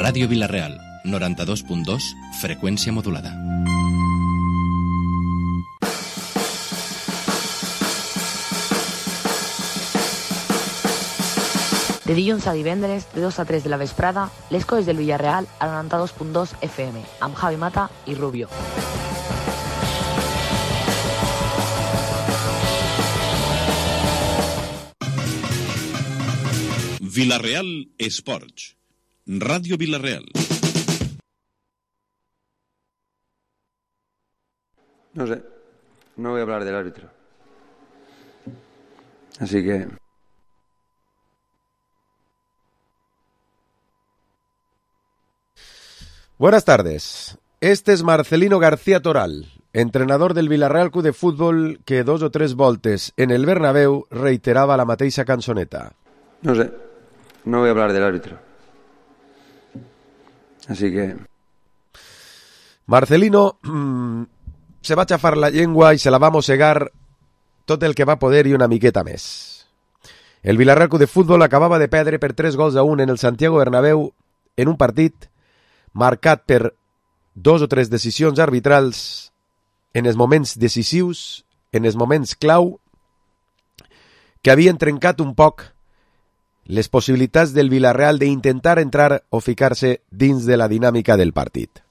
Ràdio Vila-real, 92.2, freqüència modulada. De dilluns a divendres, de 2 a 3 de la vesprada, l'Esco des del Villarreal al 92.2 FM, amb Javi Mata i Rubio. Vila-real Esports. Radio Vila-real. No sé, no voy a hablar del árbitro. Así que... Buenas tardes. Este es Marcelino García Toral, entrenador del Villarreal Club de Fútbol, que 2 o 3 voltes en el Bernabéu reiteraba la mateixa cançoneta. No sé, no voy a hablar del árbitro. Así que... Marcelino se va a chafar la llengua y se la va a mossegar tot el que va poder i una miqueta més. El Villarreal Club de Fútbol acabava de perdre per 3-1 en el Santiago Bernabéu en un partit marcat per 2 o 3 decisions arbitrals en els moments decisius, en els moments clau, que havien trencat un poc les possibilitats del Villarreal d'intentar entrar o ficar-se dins de la dinàmica del partit.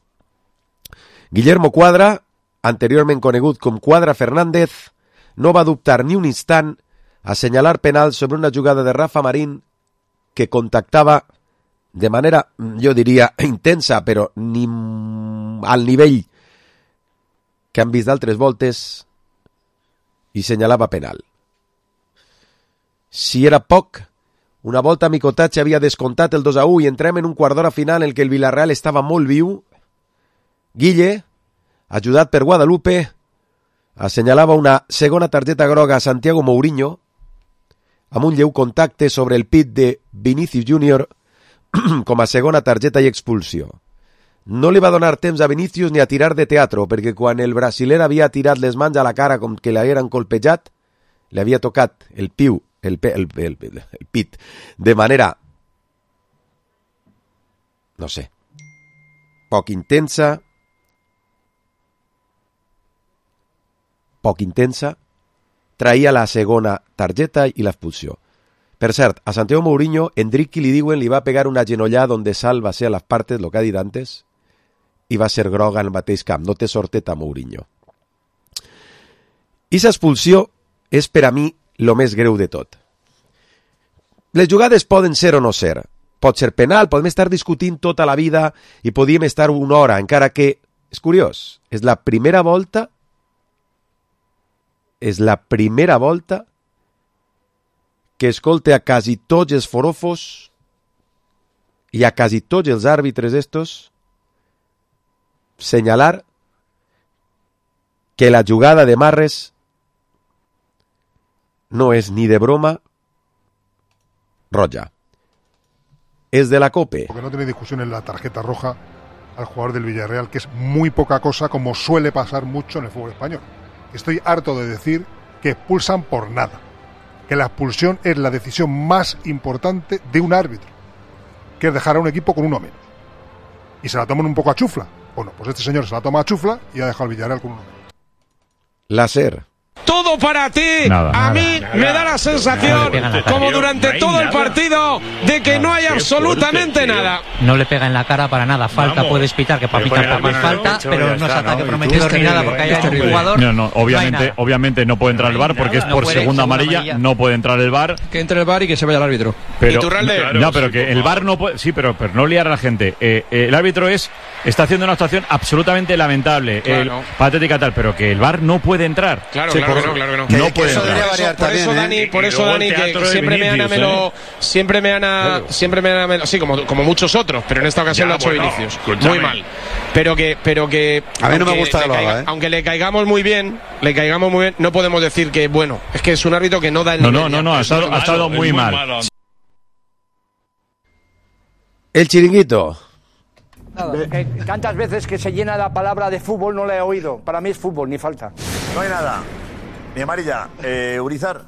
Guillermo Cuadra, anteriorment conegut com Cuadra Fernández, no va dubtar ni un instant a assenyalar penal sobre una jugada de Rafa Marín que contactava de manera, jo diria, intensa, però ni al nivell que han vist d'altres voltes, i senyalava penal. Si era poc, una volta Micotatge havia descontat el 2-1 i entrem en un quart d'hora final en què el Villarreal estava molt viu. Guille, ajudat per Guadalupe, assenyalava una segona targeta groga a Santiago Mourinho amb un lleu contacte sobre el pit de Vinicius Júnior com a segona targeta i expulsió. No li va donar temps a Vinicius ni a tirar de teatro, perquè quan el brasiler havia tirat les mans a la cara com que l'havien colpejat, li havia tocat el pit de manera, no sé, poc intensa, traïa la segona targeta i l'expulsió. Per cert, a Santiago Mourinho, Endricky li diuen li va pegar una genollada donde Sal va ser a les partes, lo que ha dit antes, i va ser groga en el mateix camp. No té sorteta Mourinho. I l'expulsió és per a mi lo més greu de tot. Les jugades poden ser o no ser. Pot ser penal, podem estar discutint tota la vida i podíem estar una hora, encara que, és curiós, és la primera volta que escolte a quasi tots els forofos i a quasi tots els àrbitres estos senyalar que la jugada de Marres no és ni de broma roja. Es de la COPE. Porque no tiene discusión en la tarjeta roja al jugador del Villarreal, que es muy poca cosa, como suele pasar mucho en el fútbol español. Estoy harto de decir que expulsan por nada, que la expulsión es la decisión más importante de un árbitro, que es dejar a un equipo con uno menos. Y se la toman un poco a chufla. Bueno, pues este señor se la toma a chufla y ha dejado al Villarreal con uno menos. Láser. Todo para ti. A mí me da la sensación, como durante todo el partido, de que no hay absolutamente nada. No le pega en la cara para nada. Falta puedes pitar, que para pitar también falta, pero no es ataque prometido ni nada porque haya un jugador. No, obviamente no puede entrar el VAR porque es por segunda amarilla. No puede entrar el VAR. Que entre el VAR y que se vaya el árbitro. Pero que el VAR no puede. Sí, pero no liar a la gente. El árbitro está haciendo una actuación absolutamente lamentable, patética tal, pero que el VAR no puede entrar. Claro que no puede entrar. Por eso Dani, que siempre me han sí, como muchos otros, pero en esta ocasión lo ha hecho Vinicius. Muy mal. Pero que a mí no me gusta que lo haga, aunque le caigamos muy bien, no podemos decir que bueno, es que es un árbitro que no da el nivel. No, ha estado muy mal. El chiringuito. Que tantas veces que se llena la palabra de fútbol no la he oído. Para mí es fútbol, ni falta. No hay nada. Ni amarilla. Urizar.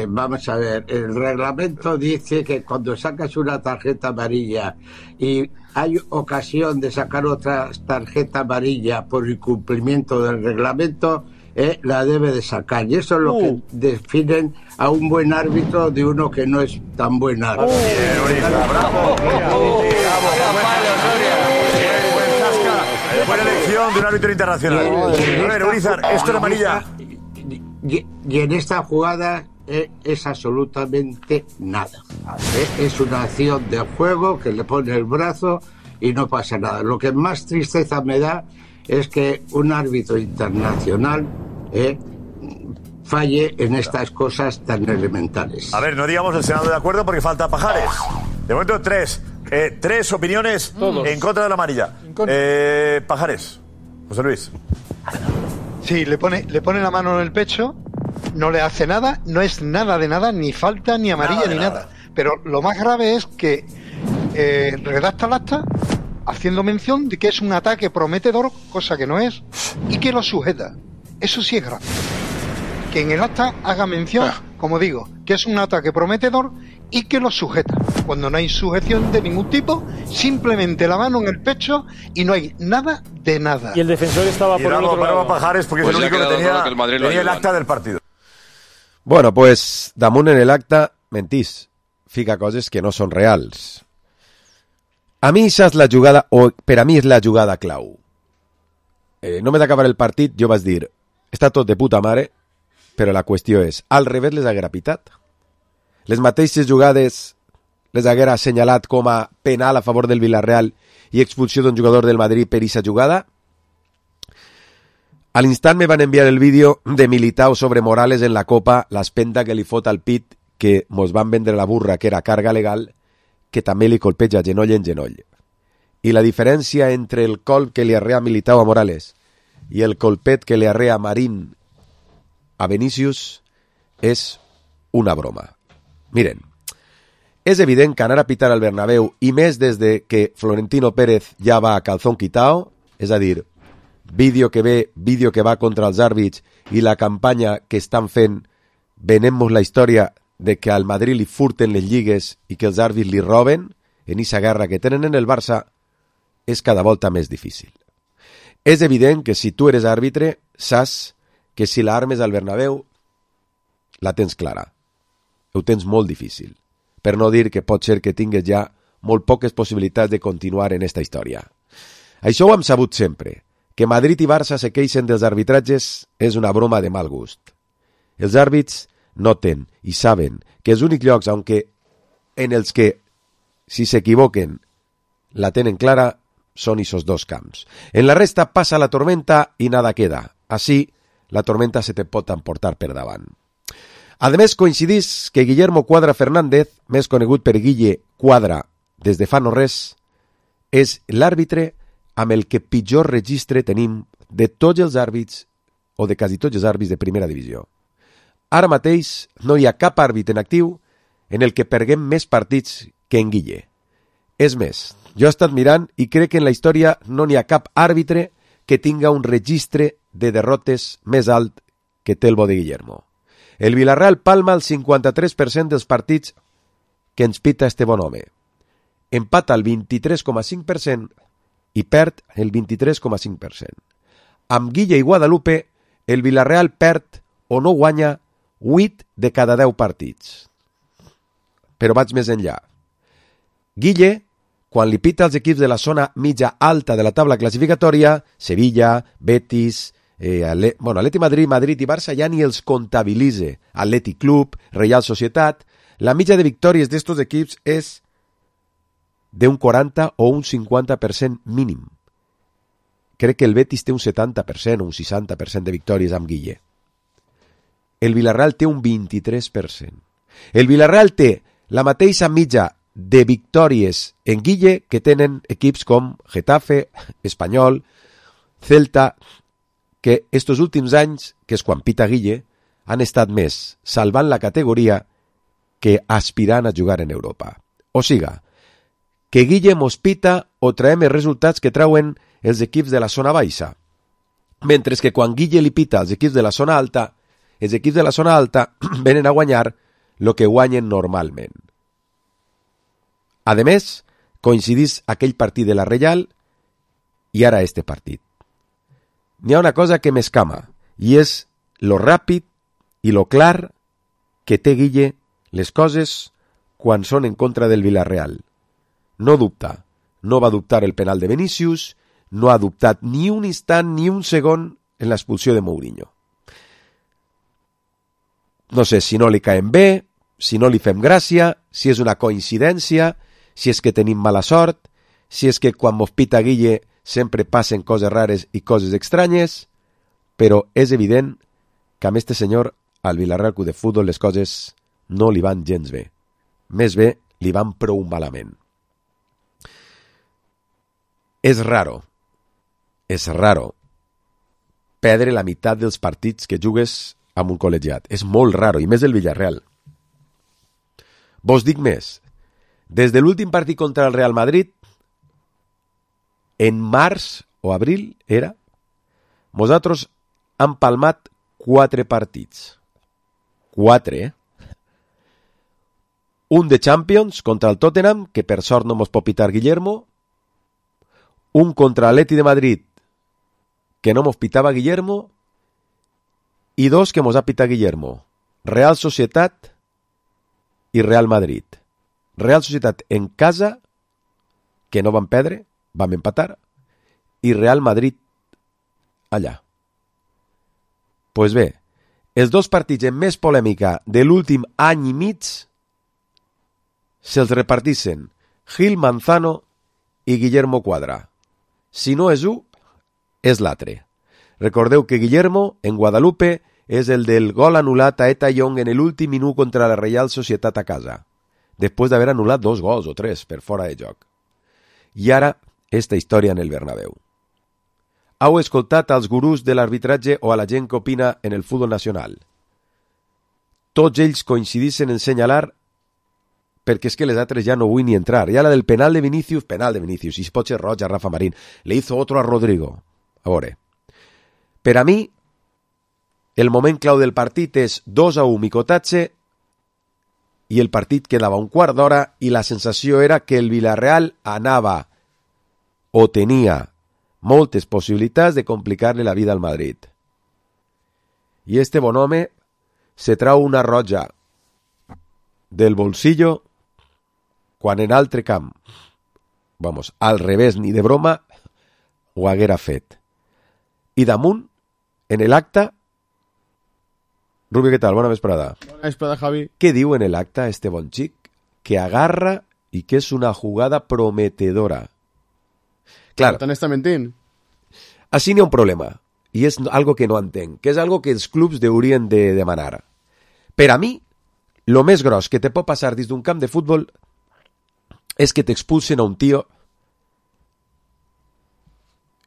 vamos a ver, el reglamento dice que cuando sacas una tarjeta amarilla y hay ocasión de sacar otra tarjeta amarilla por incumplimiento del reglamento, la debe de sacar. Y eso es lo que definen a un buen árbitro de uno que no es tan buen árbitro. Buena elección de un árbitro internacional. A ver, Urizar, esto es amarilla. Y en esta jugada es absolutamente nada. Es una acción de juego que le pone el brazo y no pasa nada. Lo que más tristeza me da es que un árbitro internacional falle en estas cosas tan elementales. A ver, no digamos el Senado de acuerdo porque falta Pajares. De momento, tres opiniones en contra de la amarilla. Pajares, José Luis. Sí, le pone la mano en el pecho, no le hace nada, no es nada de nada, ni falta, ni amarilla, ni nada. Pero lo más grave es que redacta el acta haciendo mención de que es un ataque prometedor, cosa que no es, y que lo sujeta. Eso sí es grave. Que en el acta haga mención, como digo, que es un ataque prometedor y que lo sujeta. Cuando no hay sujeción de ningún tipo, simplemente la mano en el pecho y no hay nada de nada. Y el defensor estaba por el otro lado. Pajares porque es el único que tenía el acta del partido. Bueno, pues damunt en el acta mentís. Fica coses que no són reals. A mi això és la jugada, o per a mi és la jugada clau. Només d'acabar el partit jo vaig dir, està tot de puta mare, però la qüestió és, al revés les haguera pitat? Les mateixes jugades les haguera assenyalat com a penal a favor del Villarreal i expulsió d'un jugador del Madrid per aquesta jugada? A l'instant me van enviar el vídeo de Militao sobre Morales en la Copa, l'espenta que li fot al pit, que mos van vendre la burra, que era carga legal, que també li colpeja genoll en genoll. I la diferència entre el colp que li arrea Militao a Morales i el colpet que li arrea Marín a Vinícius és una broma. Miren, és evident que anar a pitar al Bernabéu, i més des de que Florentino Pérez ja va a calzón quitao, és a dir, vídeo que ve, vídeo que va contra els àrbits i la campanya que estan fent, venem-nos la història de que al Madrid li furten les lligues i que els àrbits li roben, en aquesta guerra que tenen en el Barça, és cada volta més difícil. És evident que si tu eres àrbitre, saps que si l'armes al Bernabéu, la tens clara. Ho tens molt difícil. Per no dir que pot ser que tingues ja molt poques possibilitats de continuar en esta història. Això ho hem sabut sempre. Que Madrid i Barça se queixen dels arbitratges és una broma de mal gust. Els àrbits noten i saben que els únics llocs en els que, si s'equivoquen, la tenen clara, són esos dos camps. En la resta passa la tormenta i nada queda. Així, la tormenta se te pot emportar per davant. A més, coincidís que Guillermo Cuadra Fernández, més conegut per Guille Cuadra des de fa no res, és l'àrbitre amb el que pitjor registre tenim de tots els àrbits o de quasi tots els àrbits de primera divisió. Ara mateix no hi ha cap àrbit en actiu en el que perguem més partits que en Guille. És més, jo he estat mirant i crec que en la història no n'hi ha cap àrbitre que tinga un registre de derrotes més alt que té el bo de Guillermo. El Villarreal palma el 53% dels partits que ens pita este bon home. Empata el 23,5% i perd el 23,5%. Amb Guille i Guadalupe, el Villarreal perd o no guanya 8 de cada 10 partits. Però vaig més enllà. Guille, quan li pita als equips de la zona mitja alta de la taula classificatòria, Sevilla, Betis, Atleti Madrid, Madrid i Barça ja ni els comptabilitza. Atleti Club, Real Societat, la mitja de victòries d'estos equips és d'un 40 o un 50% mínim. Crec que el Betis té un 70% o un 60% de victòries amb Guille. El Villarreal té un 23%. El Villarreal té la mateixa mitja de victòries en Guille que tenen equips com Getafe, Espanyol, Celta, que estos últims anys, que és quan pita Guille, han estat més salvant la categoria que aspirant a jugar en Europa. O siga, que Guille mos pita o traem els resultats que trauen els equips de la zona baixa, mentre que quan Guille li pita als equips de la zona alta, els equips de la zona alta venen a guanyar el que guanyen normalment. A més, coincidís aquell partit de la Reial i ara este partit. N'hi ha una cosa que m'escama, i és lo ràpid i lo clar que té Guille les coses quan són en contra del Villarreal. No dubta, no va dubtar el penal de Vinícius, no ha dubtat ni un instant ni un segon en l'expulsió de Mourinho. No sé si no li caem bé, si no li fem gràcia, si és una coincidència, si és que tenim mala sort, si és que quan mos pita Guille sempre passen coses rares i coses estranyes, però és evident que amb este senyor al Villarreal Club de Futbol les coses no li van gens bé. Més bé, li van prou malament. És raro perdre la meitat dels partits que jugues amb un col·legiat. És molt raro, i més el Villarreal. Vos dic més. Des de l'últim partit contra el Real Madrid, en març o abril, nosaltres hem palmat 4 partits. 4, Un de Champions contra el Tottenham, que per sort no mos pot pitar Guillermo. Un contra l'Atleti de Madrid, que no mos pitava Guillermo. I 2 que mos ha pitat Guillermo. Real Societat i Real Madrid. Real Societat en casa, que no van perdre, vam empatar, i Real Madrid allà. Pues bé, els 2 partits amb més polèmica de l'últim any i mig se'ls repartissen Gil Manzano i Guillermo Cuadra. Si no és un, és l'altre. Recordeu que Guillermo, en Guadalupe, és el del gol anul·lat a Eta Young en l'últim minut contra la Real Societat a casa, després d'haver anul·lat 2 gols o 3 per fora de joc. I ara, esta història en el Bernabéu. Heu escoltat als gurús de l'arbitratge o a la gent que opina en el futbol nacional. Tots ells coincidissin en senyalar, perquè és que les altres ja no vull ni entrar. Ja la del penal de Vinícius, i si pot ser roja a Rafa Marín. Le hizo otro a Rodrigo. A veure. Per a mi, el moment clau del partit és 2-1 Micotatge i el partit quedava un quart d'hora i la sensació era que el Villarreal anava o tenia moltes possibilitats de complicar-li la vida al Madrid. I este bon home se trau una roja del bolsillo quan en altre camp, al revés ni de broma, ho haguera fet. I damunt, en l'acte, Rubio, què tal? Bona vesprada. Bona vesprada, Javi. Què diu en l'acte este bon xic? Que agarra i que és una jugada prometedora. Clar. Tant està mentint. Així n'hi ha un problema, i és algo que no entenc, que és algo que els clubs haurien de demanar. Per a mi, lo més gros que te pot passar dins d'un camp de futbol és que t'expulsen a un tio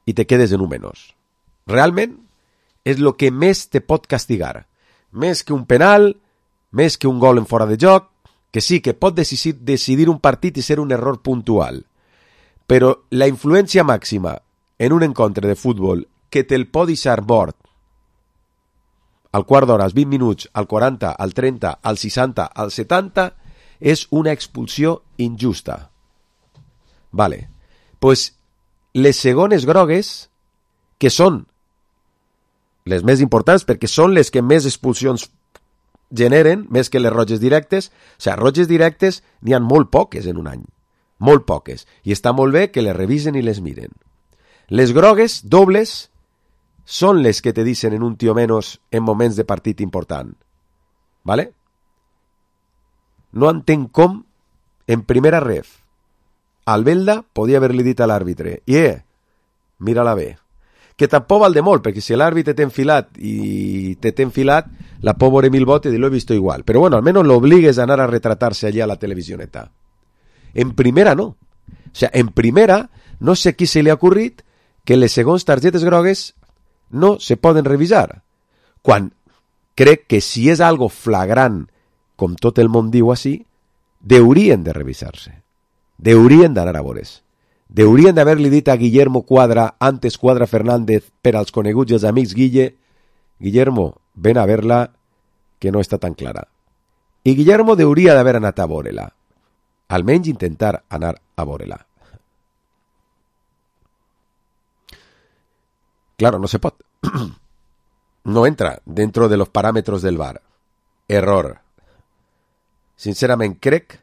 i te quedes en un menys. Realment, és lo que més te pot castigar. Més que un penal, més que un gol en fora de joc, que sí, que pot decidir un partit i ser un error puntual. Però la influència màxima en un encontre de futbol que te'l pot deixar mort al quart d'hora, als 20 minuts, al 40, al 30, al 60, al 70, és una expulsió injusta. Vale. Pues les segones grogues, que són les més importants perquè són les que més expulsions generen, més que les roges directes. O sigui, roges directes n'hi ha molt poques en un any. Molt poques. I està molt bé que les revisen i les miren. Les grogues dobles són les que te dicen en un tio menos en moments de partit important. ¿Vale? No entenc com, en primera ref, Albelda podia haver-li dit a l'àrbitre mira-la bé. Que tampoc val de molt, perquè si l'àrbitre t'ha enfilat i t'ha enfilat, la pobre mil botes i lo he visto igual. Però bueno, almenys l'obligues a anar a retratar-se allà a la televisioneta. En primera no. O sea, en primera no sé a qui se li ha ocorrit que les segons targetes grogues no se poden revisar. Quan crec que si és algo flagrant, com tot el món diu així, deurien de revisar-se. Deurien d'anar a veure. Deurien d'haver-li dit a Guillermo Cuadra, antes Cuadra Fernández, per als coneguts i els amics Guillermo, ven a verla, que no està tan clara. I Guillermo hauria d'haver anat a veure-la. Almenys intentar anar a veure-la. Claro, no se pot. No entra dentro de los parámetros del VAR. Error. Sincerament, crec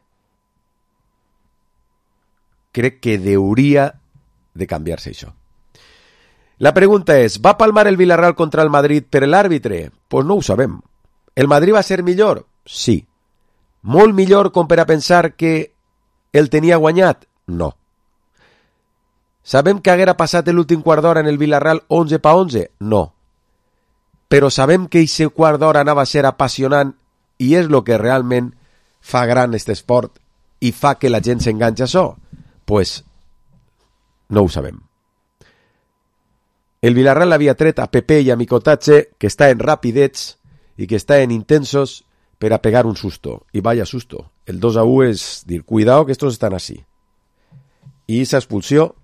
que hauria de canviar-se això. La pregunta és, ¿va palmar el Villarreal contra el Madrid per l'àrbitre? Pues no ho sabem. ¿El Madrid va ser millor? Sí. Molt millor com per a pensar que el tenia guanyat? No. Sabem que haguera passat l'últim quart d'hora en el Villarreal 11-11? No. Però sabem que aquest quart d'hora anava a ser apassionant i és el que realment fa gran aquest esport i fa que la gent s'enganxa a això? Pues no ho sabem. El Villarreal havia tret a Pepe i a Micotache, que estaven rapidets i que estaven intensos per a pegar un susto. I vaya susto. El 2-1 és dir, cuidado que estos están así. I aquesta expulsió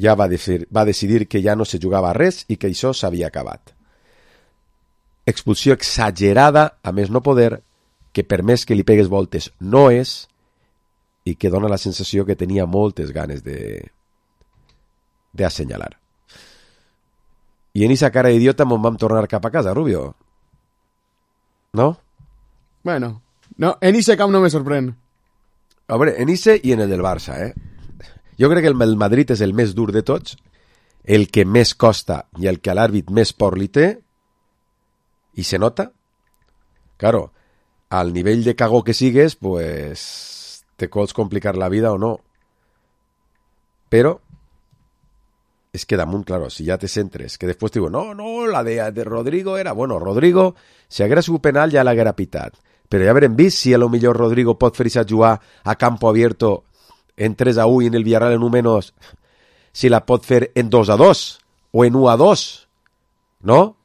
ja va decidir que ja no se jugava res i que això s'havia acabat. Expulsió exagerada, a més no poder, que per més que li pegues voltes no és, i que dona la sensació que tenia moltes ganes d'assenyalar. I en esa cara d'idiota me'n vam tornar cap a casa, Rubio. ¿No? Bueno, no, en ese camp no me sorprèn. Hombre, en ese i en el del Barça, Jo crec que el Madrid és el més dur de tots, el que més costa i el que a l'àrbit més por li té, i se nota. Claro, al nivell de cagó que sigues, pues te pots complicar la vida o no. Però es que damunt, claro, si ja te centres, que després te digo, no, la de Rodrigo era... Bueno, Rodrigo, si haguera sigut penal ja l'haguera pitat. Però ja haurem vist si a lo millor Rodrigo pot fer-se jugar a campo abierto en 3-1 i en el Villarreal en 1-, si la pot fer en 2-2 o en 1-2, ¿no?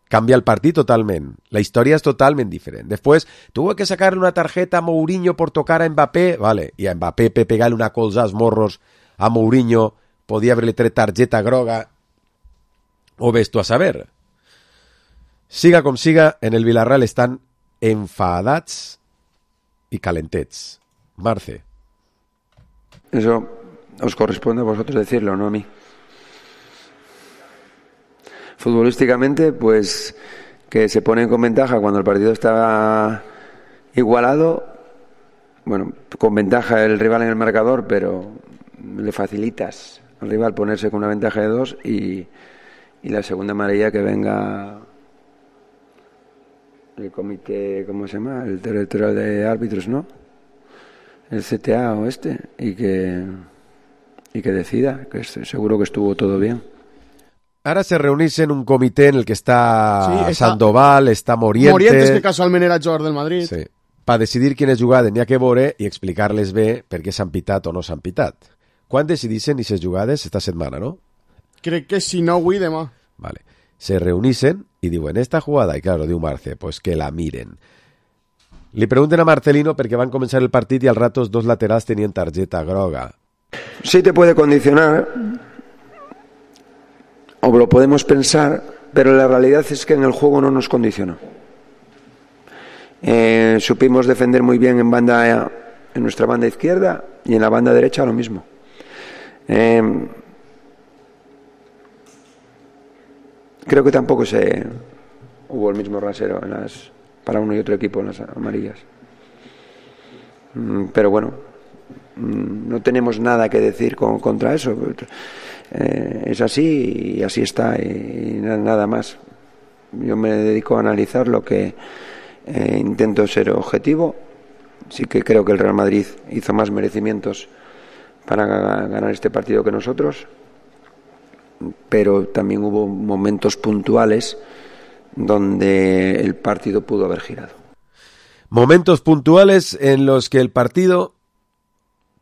Cambia el partit totalment. La història és totalment diferent. Després, tuvo que sacarle una tarjeta a Mourinho por tocar a Mbappé, vale, i a Mbappé pegarle una colza als morros a Mourinho, podia haver-li tret targeta groga, o ves tu a saber. Siga com siga, en el Villarreal estan enfadats i calentets. Marce. Eso os corresponde a vosotros decirlo, no a mí. Futbolísticamente, pues que se ponen con ventaja cuando el partido está igualado, bueno, con ventaja el rival en el marcador, pero le facilitas al rival ponerse con una ventaja de 2 y la segunda amarilla que venga el comité, ¿cómo se llama? El territorial de árbitros, ¿no? El CTA o y que decida, que seguro que estuvo todo bien. Ara se reunís en un comitè en el que està Sandoval, està Morientes, que casualment era jugador del Madrid. Sí. Per decidir quines jugades n'hi ha que veure i explicar-les bé per què s'han pitat o no s'han pitat. Quan decidissin aquestes jugades? Esta setmana, no? Crec que si no avui, demà. Vale. Se reunissen i diuen, esta jugada, i claro, diu Marce, pues que la miren. Li pregunten a Marcelino perquè van començar el partit i al ratos 2 laterals tenien targeta groga. Sí te puede condicionar, o lo podemos pensar, pero la realidad es que en el juego no nos condicionó. Supimos defender muy bien en nuestra banda izquierda y en la banda derecha lo mismo. Creo que tampoco hubo el mismo rasero para uno y otro equipo en las amarillas. Pero bueno, no tenemos nada que decir contra eso. Es así y así está y nada más. Yo me dedico a analizar lo que intento ser objetivo. Sí que creo que el Real Madrid hizo más merecimientos para ganar este partido que nosotros, pero también hubo momentos puntuales donde el partido pudo haber girado. Momentos puntuales en los que el partido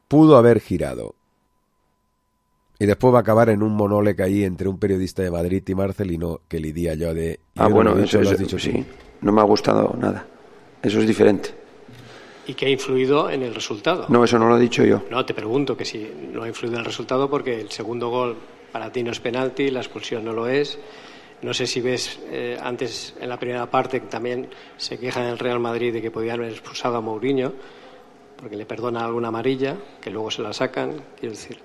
pudo haber girado. Y después va a acabar en un monólogo ahí entre un periodista de Madrid y Marcelino que le di yo de... bueno, eso lo has dicho sí. No me ha gustado nada. Eso es diferente. ¿Y qué ha influido en el resultado? No, eso no lo he dicho yo. No, te pregunto que si no ha influido en el resultado porque el segundo gol para ti no es penalti, la expulsión no lo es. No sé si ves, antes en la primera parte también se queja del Real Madrid de que podían haber expulsado a Mourinho porque le perdona alguna amarilla, que luego se la sacan, quiero decir.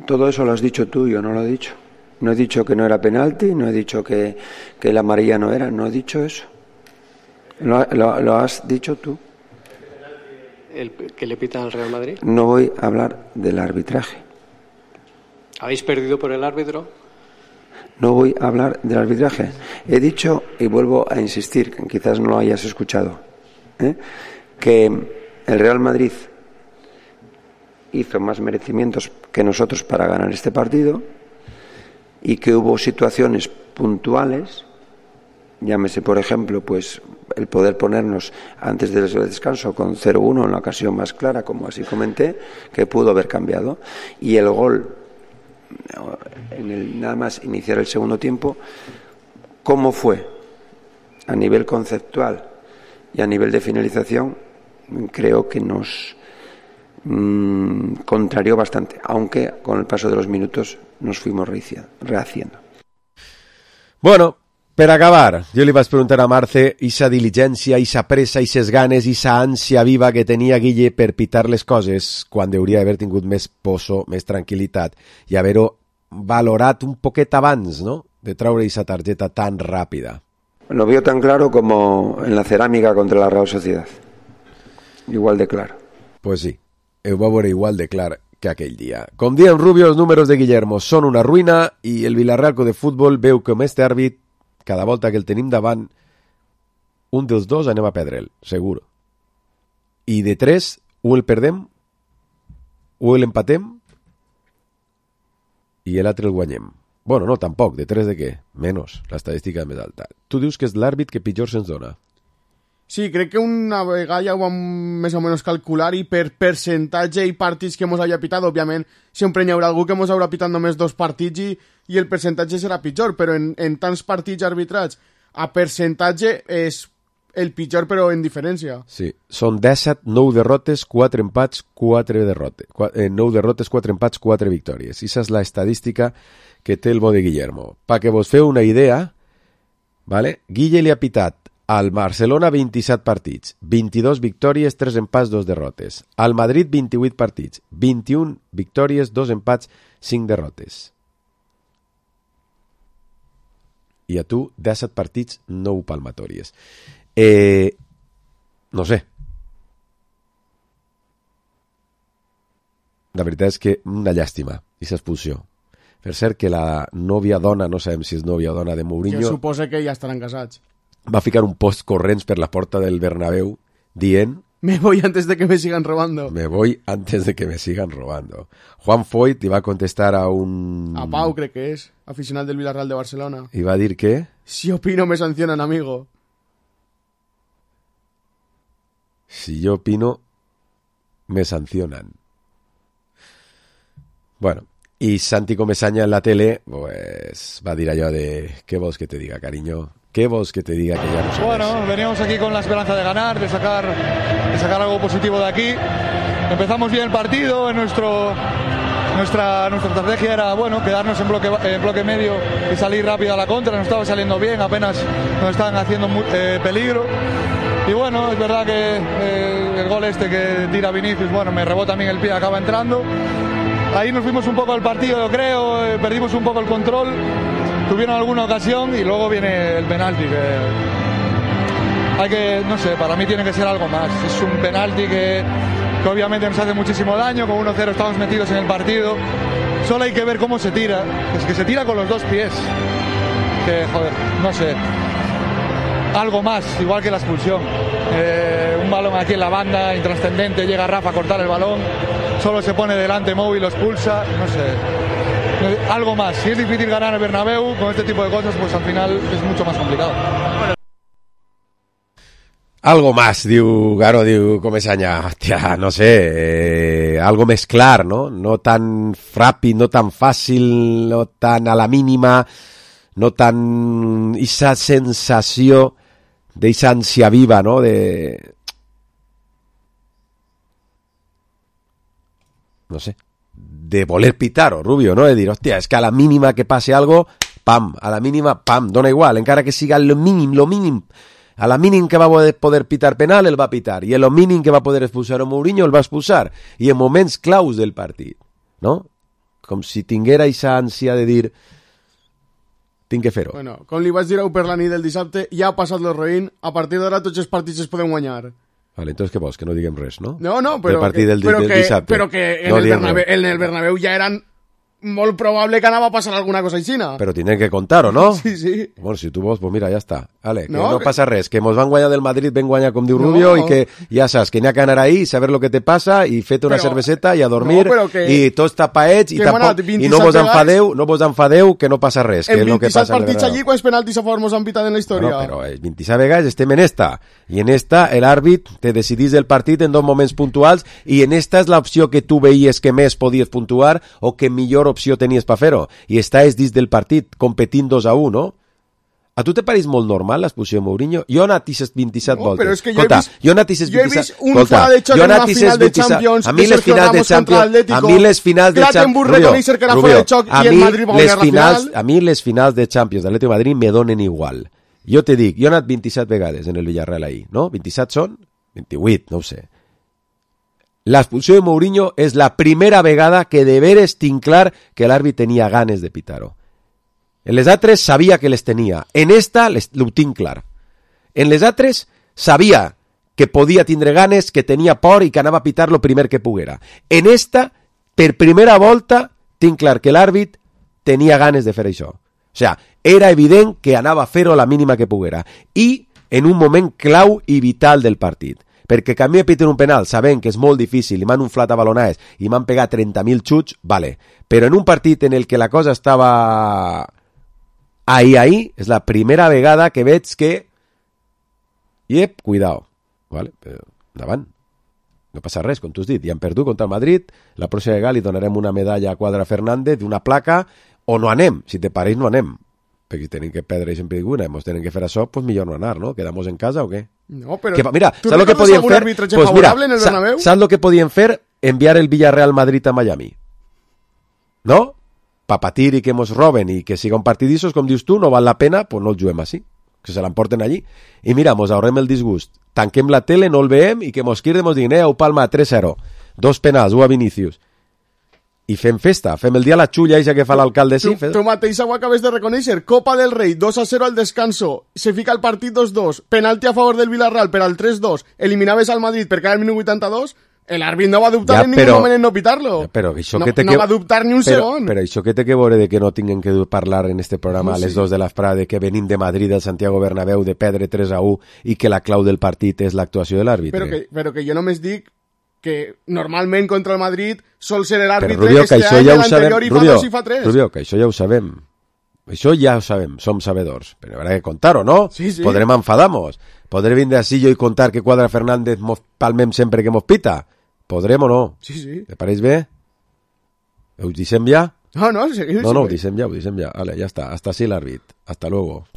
Todo eso lo has dicho tú, yo no lo he dicho. No he dicho que no era penalti, no he dicho que la amarilla no era, no he dicho eso. Lo has dicho tú. ¿El que le pitan al Real Madrid? No voy a hablar del arbitraje. ¿Habéis perdido por el árbitro? No voy a hablar del arbitraje. He dicho, y vuelvo a insistir, que quizás no lo hayas escuchado, que el Real Madrid hizo más merecimientos que nosotros para ganar este partido y que hubo situaciones puntuales, llámese por ejemplo pues el poder ponernos antes del descanso con 0-1 en la ocasión más clara, como así comenté, que pudo haber cambiado, y el gol en el nada más iniciar el segundo tiempo, ¿cómo fue? A nivel conceptual y a nivel de finalización, creo que nos contrarió bastante, aunque con el paso de los minutos nos fuimos rehaciendo. Bueno, per acabar, jo li vaig preguntar a Marce esa diligència, esa pressa, eixes ganes, esa ànsia viva que tenia Guille per pitar les coses quan hauria d'haver tingut més poso, més tranquil·litat i haver-ho valorat un poquet abans, ¿no?, de traure esa targeta tan ràpida. Lo veo tan claro como en la cerámica contra la Real Sociedad. Igual de claro. Pues sí, ho va veure igual de clar que aquell dia. Com diuen Rubio, els números de Guillermo són una ruïna i el Villarreal Club de Futbol veu com este àrbit, cada volta que el tenim davant, un dels dos anem a perdre'l, seguro. I de 3, o el perdem, o l'empatem, i l'altre el guanyem. Bueno, no, tampoc, de 3 de què? Menys, l'estadística més alta. Tu dius que és l'àrbit que pitjor se'ns dona. Sí, crec que una vegada ja ho vam més o menys calcular i per percentatge i partits que mos haya pitat, òbviament, sempre hi haurà algú que mos haurà pitat només 2 partits i el percentatge serà pitjor, però en tants partits arbitrats a percentatge és el pitjor, però en diferència. Sí, són 17, 9 derrotes, 4 empats, 4 derrotes. 9 derrotes, 4 empats, 4 victòries. Esa és la estadística que té el bo de Guillermo. Pa que vos feu una idea, ¿vale? Guille li ha pitat al Barcelona 27 partits, 22 victòries, 3 empats, 2 derrotes. Al Madrid 28 partits, 21 victòries, 2 empats, 5 derrotes. I a tu 17 partits, 9 palmatòries. No sé. La veritat és que una llàstima, aquesta expulsió. Per cert que la nòvia dona, no sabem si és nòvia o dona de Mourinho, jo suposo que ja estaran casats. Va ficar un post corrents per la porta del Bernabéu dient: me voy antes de que me sigan robando. Me voy antes de que me sigan robando. Juan Foyt li va contestar a un... A Pau, crec que és, aficionat del Villarreal de Barcelona. I va dir que... Si opino me sancionan, amigo. Si yo opino me sancionan. Bueno, y Santi Comesaña en la tele, pues va a dir allò de... ¿Qué vols que te diga, cariño? ¿Qué vols que te diga que ya no sabes? Bueno, veníamos aquí con la esperanza de ganar, de sacar algo positivo de aquí. Empezamos bien el partido, nuestra estrategia era, bueno, quedarnos en bloque medio y salir rápido a la contra. Nos estaba saliendo bien, apenas nos estaban haciendo peligro. Y bueno, es verdad que el gol este que tira Vinicius, bueno, me rebota a mí en el pie, acaba entrando. Ahí nos fuimos un poco al partido, yo creo, perdimos un poco el control. Tuvieron alguna ocasión y luego viene el penalti, que hay que, no sé, para mí tiene que ser algo más. Es un penalti que obviamente nos hace muchísimo daño, con 1-0 estamos metidos en el partido. Solo hay que ver cómo se tira, es que se tira con los 2 pies. Que, joder, no sé, algo más, igual que la expulsión. Un balón aquí en la banda, intrascendente, llega Rafa a cortar el balón, solo se pone delante Mou y lo expulsa, no sé. Algo más. Si es difícil ganar el Bernabéu con este tipo de cosas, pues al final es mucho más complicado. Algo más, diu Garo, diu Comesaña. Hòstia, no sé, algo més clar, no? No tan ràpid, no tan fàcil, no tan a la mínima, no tan... Esa sensació d'esa ànsia viva, no? No sé, de voler pitar, o Rubio, ¿no? De dir, hòstia, és que a la mínima que passe algo, pam, a la mínima, pam, dona igual, encara que siga lo mínim. A la mínim que va poder pitar penal, el va pitar. I a lo mínim que va poder expulsar a Mourinho, el va expulsar. I en moments claus del partit, no? Com si tinguera aquesta ànsia de dir tinc que fer-ho. Bueno, com li vaig dir a per la nit del dissabte, ja ha passat el roïn, a partir d'ara tots els partits es poden guanyar. Vale, entonces què vols? Que no diguem res, no? No, però del dissabte. Però que en el Bernabéu ja eren molt probable que anava a passar alguna cosa aixina. Però tindrem que contar-ho, no? Sí. Bueno, si tu vols, pues mira, ja està. Vale, que no passa res, que mos van guanyar del Madrid, ben guanyar com diu Rubio, i que ja saps, que n'hi ha que anar ahí, saber lo que te passa, i fet una cerveseta i a dormir, i tots tapaets, i tampoc, i no vos enfadeu, que no passa res. En 27 partits allí, quants penaltis a favor mos han pitat en la història? Bueno, però 27 vegades estem en esta, i en esta el àrbit te decidís del partit en dos moments puntuals, i en esta és l'opció que tu veies que més podies puntuar, o que millor opció tenies per fer-ho, i estàs dins del partit competint 2-1, no? A tu te pareix molt normal l'expulsió de Mourinho? Jo he anat 27 voltes. Però és que jo he vist un fa de xoc en una final de Champions, a mi les finals de Champions, a mi les finals de Champions, a mi les finals de Champions de l'Atlético de Madrid me donen igual. Jo te dic, jo he anat 27 vegades en el Villarreal ahir, no? 27 són? 28, no ho sé. L'expulsió de Mourinho és la primera vegada que de veres tinc clar que l'àrbit tenia ganes de pitar-ho. En les altres sabia que les tenia. En esta ho tinc clar. En les altres sabia que podia tindre ganes, que tenia por i que anava a pitar lo primer que poguera. En esta, per primera volta, tinc clar que l'àrbit tenia ganes de fer això. O sigui, era evident que anava a fer-ho la mínima que poguera. I en un moment clau i vital del partit. Perquè que a mi me piten un penal sabent que és molt difícil i m'han unflat a balonades i m'han pegat 30.000 xuts, vale. Però en un partit en el que la cosa estava ahí, és la primera vegada que veig que cuidao, vale? Però, endavant. No passa res, com tu has dit, ja han perdut contra el Madrid, la pròxima vegada li donarem una medalla a Quadra Fernández d'una placa, o no anem, si te pareix no anem. Perquè si tenim que perdre i sempre dic una, ens tenim que fer això, pues millor no anar, no? Quedamos en casa o què? No, però mira, tu recordes algun arbitratge favorable en el Bernabéu? Saps el que podien fer? Enviar el Villarreal Madrid a Miami. No? Pa patir i que mos roben i que siga un partidissos, com dius tu, no val la pena, pues no el juguem així. Que se l'emporten allí. I mira, mos ahorrem el disgust. Tanquem la tele, no el veiem i que mos quirden, mos diguin, ho palma 3-0. 2 penals, 1 a Vinícius. I fem festa, fem el dia la xulla eixa que fa l'alcalde. Sí, tu mateix ho acabes de reconèixer. Copa del Rei, 2-0 al descanso. Se fica el partit 2-2. Penalti a favor del Villarreal per al 3-2. Eliminaves al Madrid per cada el minut 82. L'àrbit no va dubtar en ningún moment en no pitar-lo. No va dubtar ni un segon. Però això que té que veure de que no tinguem que parlar en este programa a les 2 de l'esprada de que venim de Madrid al Santiago Bernabéu de perdre 3-1 i que la clau del partit és l'actuació de l'àrbitre. Però que jo només dic que normalment contra el Madrid sol ser l'àrbitre Rubio, que este any l'anterior i fa 2 i fa 3. Rubio, que això ja ho sabem. Això ja ho sabem, som sabedors. Però haurà que contar-ho, no? Sí. Podrem enfadar-nos. Podré vindre així jo i contar que Quadra Fernández mos palmem sempre que mos pita. Podrem o no? Sí. Te pareix bé? Ho deixem ja? No, seguim. No, ho deixem ja. Vale, ya está. Hasta así el árbitro. Hasta luego.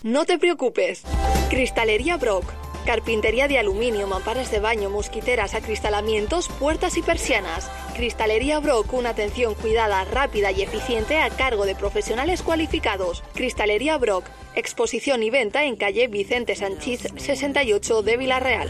No te preocupes. Cristalería Brock. Carpintería de aluminio, mamparas de baño, mosquiteras, acristalamientos, puertas y persianas. Cristalería Brock, una atención cuidada, rápida y eficiente a cargo de profesionales cualificados. Cristalería Brock, exposición y venta en calle Vicente Sanchís 68 de Villarreal.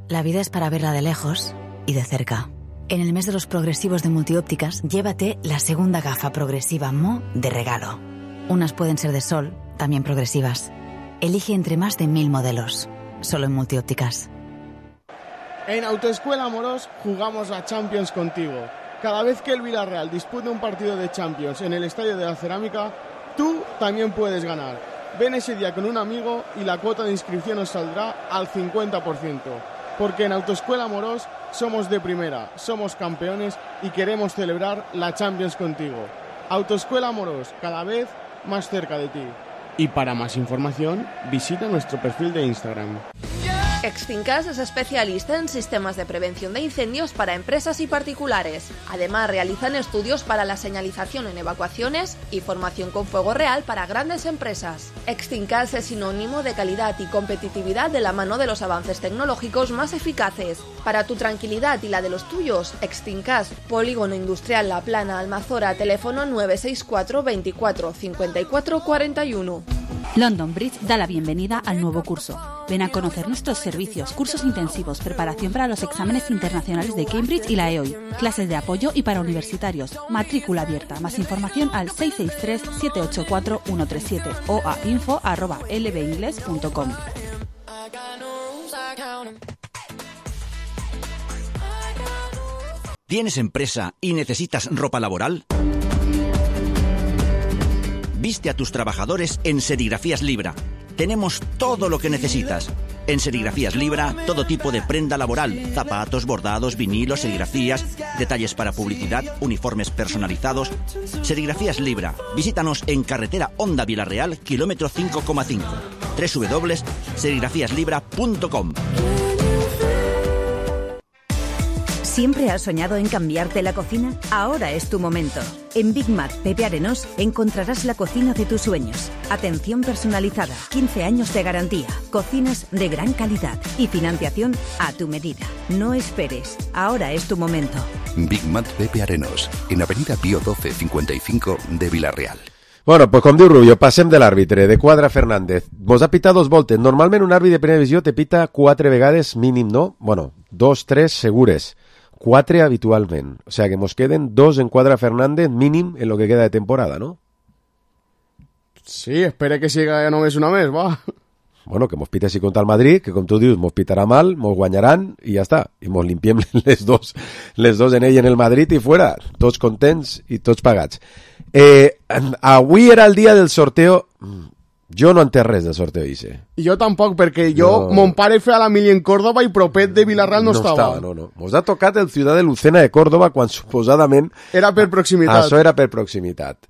La vida es para verla de lejos y de cerca. En el mes de los progresivos de Multiópticas, llévate la segunda gafa progresiva Mo de regalo. Unas pueden ser de sol, también progresivas. Elige entre más de 1000 modelos, solo en Multiópticas. En Autoescuela Amorós jugamos a Champions contigo. Cada vez que el Villarreal dispute un partido de Champions en el Estadio de la Cerámica, tú también puedes ganar. Ven ese día con un amigo y la cuota de inscripción nos saldrá al 50%. Porque en Autoescuela Amorós somos de primera, somos campeones y queremos celebrar la Champions contigo. Autoescuela Amorós, cada vez más cerca de ti. Y para más información, visita nuestro perfil de Instagram. Extincas es especialista en sistemas de prevención de incendios para empresas y particulares. Además, realizan estudios para la señalización en evacuaciones y formación con fuego real para grandes empresas. Extincas es sinónimo de calidad y competitividad de la mano de los avances tecnológicos más eficaces. Para tu tranquilidad y la de los tuyos, Extincas, Polígono Industrial La Plana, Almazora, teléfono 964 24 54 41. London Bridge da la bienvenida al nuevo curso. Ven a conocer nuestros servicios, cursos intensivos, preparación para los exámenes internacionales de Cambridge y la EOI, clases de apoyo y para universitarios, matrícula abierta. Más información al 663-784-137 o a info@lbingles.com. ¿Tienes empresa y necesitas ropa laboral? Viste a tus trabajadores en Serigrafías Libra. Tenemos todo lo que necesitas. En Serigrafías Libra, todo tipo de prenda laboral, zapatos, bordados, vinilos, serigrafías, detalles para publicidad, uniformes personalizados. Serigrafías Libra. Visítanos en carretera Honda Vilarreal, kilómetro 5,5. www.serigrafíaslibra.com. ¿Siempre has soñado en cambiarte la cocina? Ahora es tu momento. En Big Mac Pepe Arenós encontrarás la cocina de tus sueños. Atención personalizada, 15 años de garantía, cocinas de gran calidad y financiación a tu medida. No esperes, ahora es tu momento. Big Mac Pepe Arenós, en Avenida Pío 12 55 de Vilarreal. Bueno, pues com diu Rubio, passem de l'àrbitre, de Quadra Fernández. Vos ha pitat 2 voltes. Normalment un àrbitre de primera divisió te pita 4 vegades mínim, no? Bueno, 2, 3 segures. 4 habitualment. O sea que nos queden 2 en Quadra Fernández mínim en lo que queda de temporada, ¿no? Sí, espere que siga ja només una més, va. Bueno, que mos pita així contra el Madrid, que com tu dius, mos pitarà mal, mos guanyaran i ja està. I mos limpiem les dos en ell en el Madrid i fuera. Tots contents i tots pagats. Avui era el dia del sorteo. Jo no entenc res del sorteo ese. I jo tampoc, perquè mon pare feia la mili en Córdoba i propet de Vilarreal no estava. No. Mos ha tocat el Ciudad de Lucena de Córdoba quan suposadament... Era per proximitat. Això era per proximitat.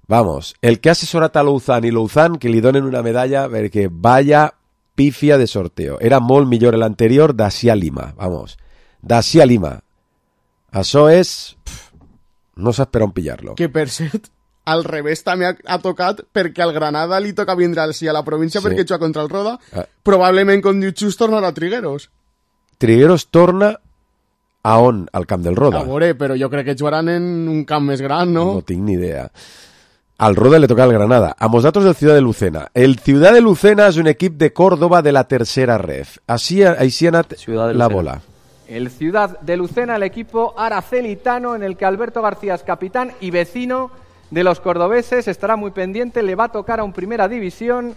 Vamos, el que ha assessorat a Louzán i Louzán que li donen una medalla perquè vaya pifia de sorteo. Era molt millor l'anterior d'ací a Lima. Vamos, d'ací a Lima. Això és... no saps per on pillar-lo. Que per cert... al revés també ha tocat perquè al Granada li toca vindre a la província perquè juga contra el Roda. Probablement, com diu Xus, tornarà a Trigueros. Trigueros torna a on? Al camp del Roda. A veure, però jo crec que jugaran en un camp més gran, no? No tinc ni idea. Al Roda le toca al Granada. A nosaltres el Ciudad de Lucena. El Ciudad de Lucena és un equip de Córdoba de la tercera ref. Així ha anat la bola. El Ciudad de Lucena, el equipo aracelitano en el que Alberto García es capitán y vecino de los cordobeses, estará muy pendiente, le va a tocar a un primera división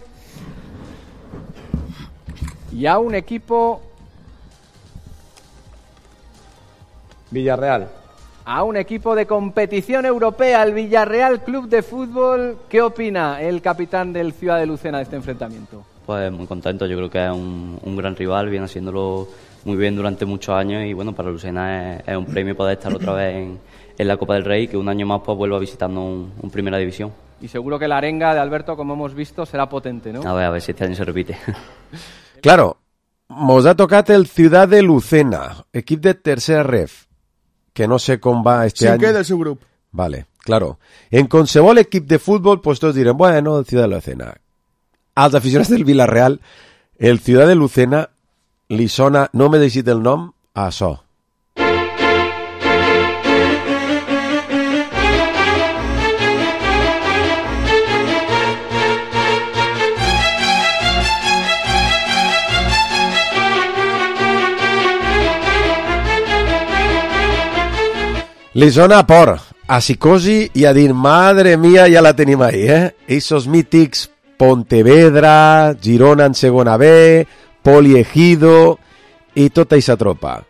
y a un equipo Villarreal. A un equipo de competición europea, el Villarreal Club de Fútbol. ¿Qué opina el capitán del Ciudad de Lucena de este enfrentamiento? Pues muy contento, yo creo que es un gran rival, viene haciéndolo muy bien durante muchos años y bueno, para Lucena es un premio poder estar otra vez en la Copa del Rey, que un año más pues vuelva visitando un primera división. Y seguro que la arenga de Alberto, como hemos visto, será potente, ¿no? A ver si este año se repite. Claro, mos ha tocat el Ciudad de Lucena, equip de tercera ref, que no sé com va este any. Cinquè del seu grup. Vale, claro. En qualsevol equip de futbol, pues tots direm, bueno, el Ciudad de Lucena. Als aficionats del Villarreal, el Ciudad de Lucena li sona, no m'he deixat el nom, a això. Li sona a por, a psicosi i a dir, madre mía, ja la tenim ahí, Esos mítics Pontevedra, Girona en segona B, Poliegido i tota aquesta tropa.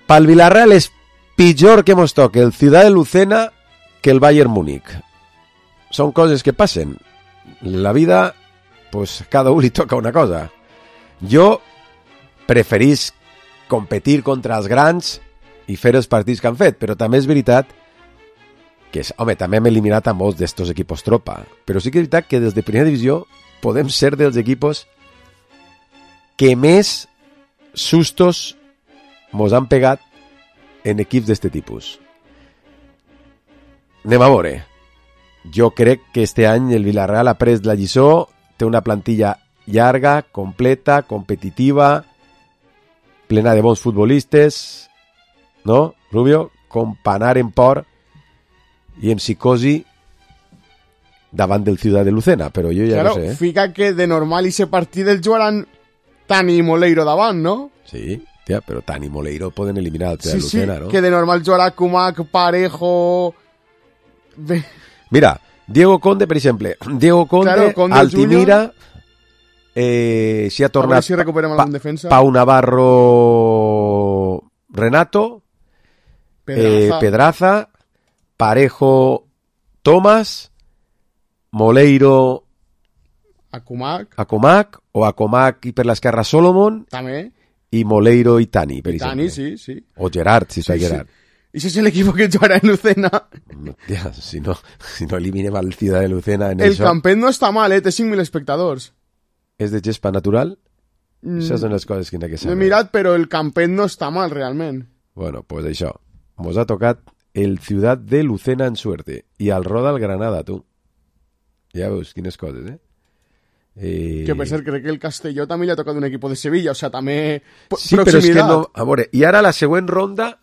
Pel Villarreal és pitjor que mos toque el Ciudad de Lucena que el Bayern Múnich. Són coses que passen. La vida, pues cada un li toca una cosa. Jo preferís competir contra els grans i fer els partits que han fet, però també és veritat que, home, també hem eliminat a molts d'estos equipos tropa, però sí que és veritat que des de primera divisió podem ser dels equipos que més sustos mos han pegat en equips d'este tipus. Anem a veure. Jo crec que este any el Villarreal ha pres la lliçó, té una plantilla llarga, completa, competitiva, plena de bons futbolistes, no, Rubio? Com per anar en por i en psicosi davant del Ciudad de Lucena, però jo ja claro, no sé. Fica que de normal ese partit el jugaran Tani i Moleiro davant, no? Sí, tia, però Tani i Moleiro poden eliminar el Ciudad de Lucena, ¿no? Que de normal jugarà Kumak, Parejo... Mira, Diego Conde, per exemple. Diego Conde, claro, Conde Altimira, si ha tornat si recuperem algun defensa. Pau Navarro, Renato, Pedraza, Parejo, Tomás, Moleiro, Akumak o Akumak i per l'esquerra Solomon també, i Moleiro i Tani, per exemple. Tani, sí. O Gerard, si soy Gerard. ¿Y ese es el equipo que jugará en Lucena? No, tía, si no eliminem al Ciudad de Lucena en el Campet no està mal, té 5.000 espectadors. És de gespa natural? Això són les coses que n'hi ha que saber. No he mirat, però el Campet no està mal, realment. Bueno, pues això. Mos ha tocat el Ciudad de Lucena en suerte. I al Roda el Granada, tu. Ja veus quines coses, eh? Que per cert, crec que el Castelló també li ha tocat un equip de Sevilla, o sea, també sí, proximitat. Però és que no... A veure, i ara la següent ronda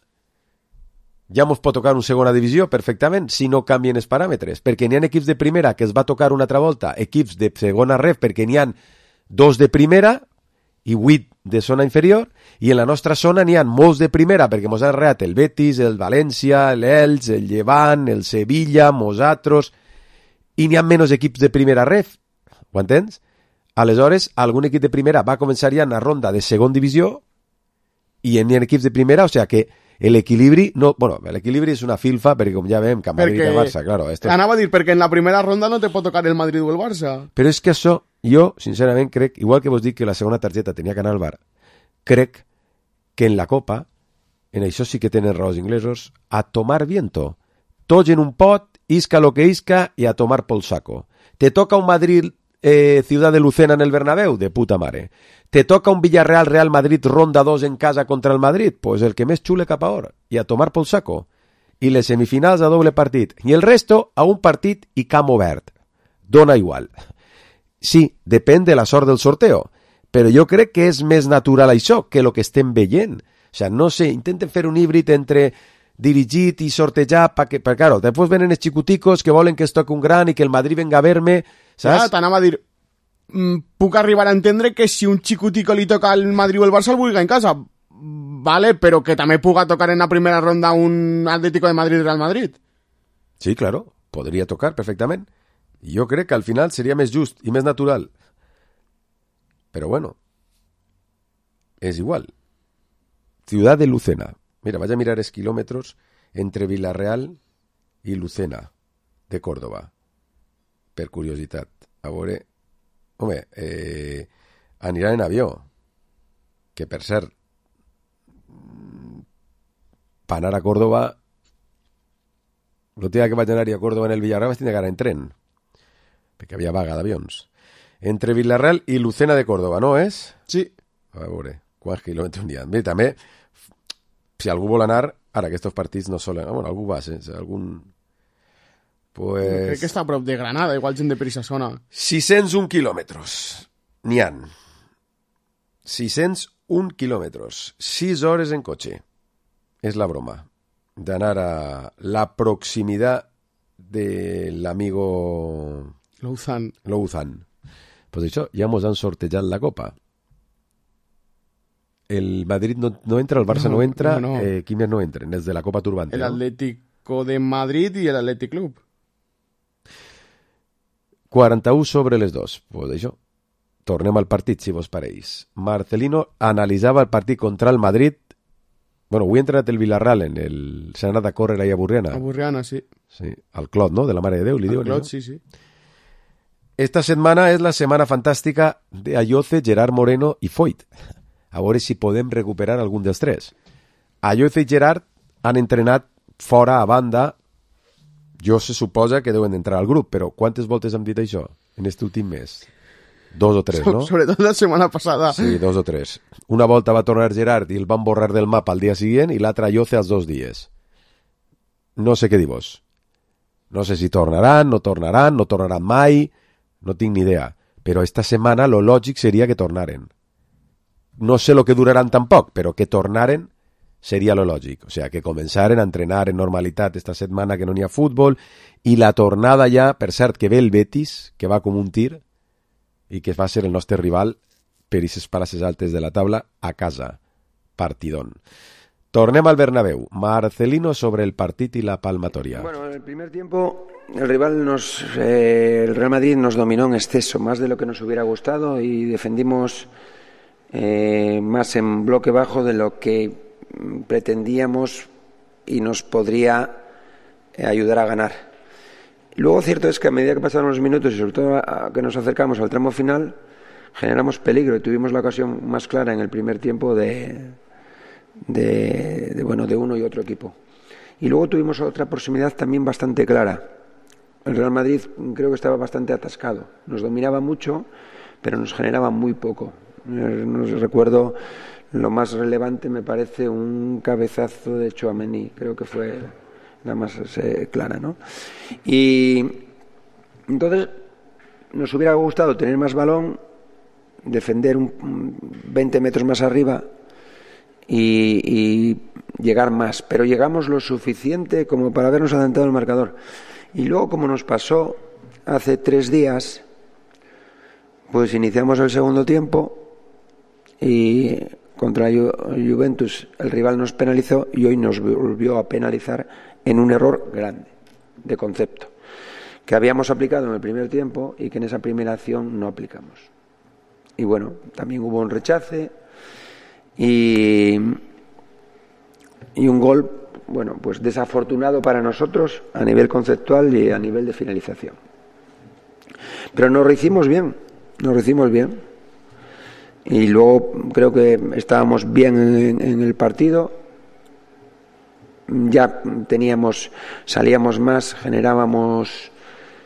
ja mos pot tocar una segona divisió perfectament si no canvien els paràmetres, perquè n'hi ha equips de primera que es va tocar una altra volta, equips de segona ref perquè n'hi ha 2 de primera i 8 de zona inferior, i en la nostra zona n'hi ha molts de primera perquè mos han reat el Betis, el València, l'Elx, el Llevant, el Sevilla, nosaltres, i n'hi ha menys equips de primera ref, ho entens? Aleshores, algun equip de primera va començar ja en la ronda de segona divisió i n'hi ha equips de primera, o sigui que l'equilibri, no, bueno, l'equilibri és una filfa perquè com ja veiem que Madrid i Barça, claro. Anava a dir, perquè en la primera ronda no te pot tocar el Madrid o el Barça. Però és que això, jo, sincerament, crec, igual que vos dic que la segona targeta tenia que anar al bar, crec que en la Copa, en això sí que tenen raó els inglesos, a tomar viento. Tots en un pot, isca lo que isca i a tomar pel saco. Te toca un Madrid Ciudad de Lucena en el Bernabéu, de puta mare. Te toca un Villarreal Real Madrid ronda 2 en casa contra el Madrid, pues el que més xule cap a hora, i a tomar pel saco. I les semifinals a doble partit. I el resto a un partit i camp obert. Dona igual. Sí, depèn de la sort del sorteo, però jo crec que és més natural això que el que estem veient. O sea, no sé, intenten fer un híbrid entre dirigit i sortejar, perquè, claro, després venen els xicoticos que volen que es toqui un gran i que el Madrid venga a ver-me, saps? T'anava a dir, puc arribar a entendre que si un xicutico li toca al Madrid o el Barça el vulgui en casa, vale, però que també puga tocar en la primera ronda un Atlético de Madrid-Real Madrid. Sí, claro, podria tocar perfectament. Jo crec que al final seria més just i més natural. Però bueno, és igual. Ciudad de Lucena. Mira, vaig a mirar els quilòmetres entre Villarreal i Lucena, de Córdoba. Per curiositat. A veure... Home, aniran en avió. Que, per cert, per anar a Córdoba... L'última que vaig anar a Córdoba en el Villarreal vaig tenir que anar en tren. Perquè havia vaga d'avions. Entre Villarreal i Lucena de Córdoba, no és? Sí. A veure, quants quilòmetres n'hi ha? Bé, també... Si algú vol anar, ara aquests partits no solen... Bueno, algú va, algun... Pues... Crec que està a prop de Granada, igual gent de per aquesta zona. 601 quilòmetres. N'hi ha. 601 quilòmetres. 6 hores en cotxe. És la broma. D'anar a la proximitat de l'amigo... Louzan. Pues això, ja mos han sortejat la Copa. El Madrid no entra, el Barça no entra, no. Qui més no entren? Els de la Copa Turbante. El Atlético de Madrid i el Athletic Club. 41 sobre les 2. Pues això. Tornem al partit, si vos pareix. Marcelino analitzava el partit contra el Madrid. Bueno, avui ha entrenat el Villarreal s'ha anat a córrer ahí a Burriana. A Burriana, sí. Sí, al Clot, no? De la Mare de Déu, li diuen. Al Clot, sí. Esta setmana és la setmana fantàstica de Ayoce, Gerard Moreno i Foyt. A veure si podem recuperar algun dels tres. Ayoce i Gerard han entrenat fora, a banda. Jo se suposa que deuen entrar al grup, però quantes voltes hem dit això en aquest últim mes? 2 o 3, no? Sobre todo la setmana passada. Sí, 2 o 3. Una volta va tornar Gerard i el van borrar del mapa al dia següent i l'altra Yoce als 2 dies. No sé què dir vos. No sé si tornaran, no tornaran mai, no tinc ni idea. Però esta setmana lo lògic seria que tornaren. No sé lo que duraran tampoc, però que tornaren seria lo lògic. O sea, que començaren a entrenar en normalitat esta setmana que no n'hi ha futbol i la tornada ja, per cert, que ve el Betis, que va com un tir i que va ser el nostre rival per aquestes places altes de la taula a casa. Partidón. Tornem al Bernabéu. Marcelino sobre el partit y la palmatoria. Bueno, en el primer tiempo el Real Madrid nos dominó en exceso, más de lo que nos hubiera gustado, y defendimos más en bloque bajo de lo que pretendíamos y nos podría ayudar a ganar. Luego, cierto es que a medida que pasaron los minutos y sobre todo a que nos acercamos al tramo final, generamos peligro y tuvimos la ocasión más clara en el primer tiempo de uno y otro equipo. Y luego tuvimos otra proximidad también bastante clara. El Real Madrid creo que estaba bastante atascado. Nos dominaba mucho, pero nos generaba muy poco. No recuerdo, lo más relevante me parece un cabezazo de Tchouaméni, creo que fue la más clara, ¿no? Y entonces nos hubiera gustado tener más balón, defender 20 metros más arriba y llegar más, pero llegamos lo suficiente como para habernos adelantado el marcador. Y luego, como nos pasó hace 3 días, pues iniciamos el segundo tiempo y contra Juventus el rival nos penalizó y hoy nos volvió a penalizar en un error grande de concepto que habíamos aplicado en el primer tiempo y que en esa primera acción no aplicamos. Y bueno, también hubo un rechace y un gol, bueno, pues desafortunado para nosotros a nivel conceptual y a nivel de finalización. Pero nos lo hicimos bien. Y luego creo que estábamos bien en el partido. Ya salíamos más, generábamos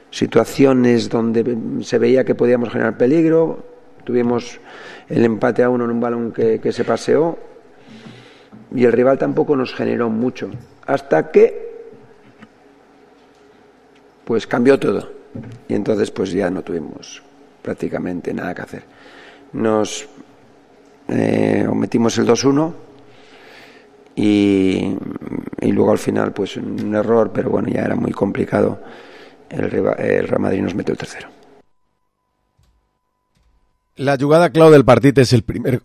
situaciones donde se veía que podíamos generar peligro. Tuvimos el empate a 1 en un balón que se paseó y el rival tampoco nos generó mucho hasta que pues cambió todo y entonces pues ya no tuvimos prácticamente nada que hacer. Nos ometimos el 2-1 y luego al final pues un error, pero bueno, ya era muy complicado. El Real Madrid nos metió el tercero. La jugada clau del partit és el primer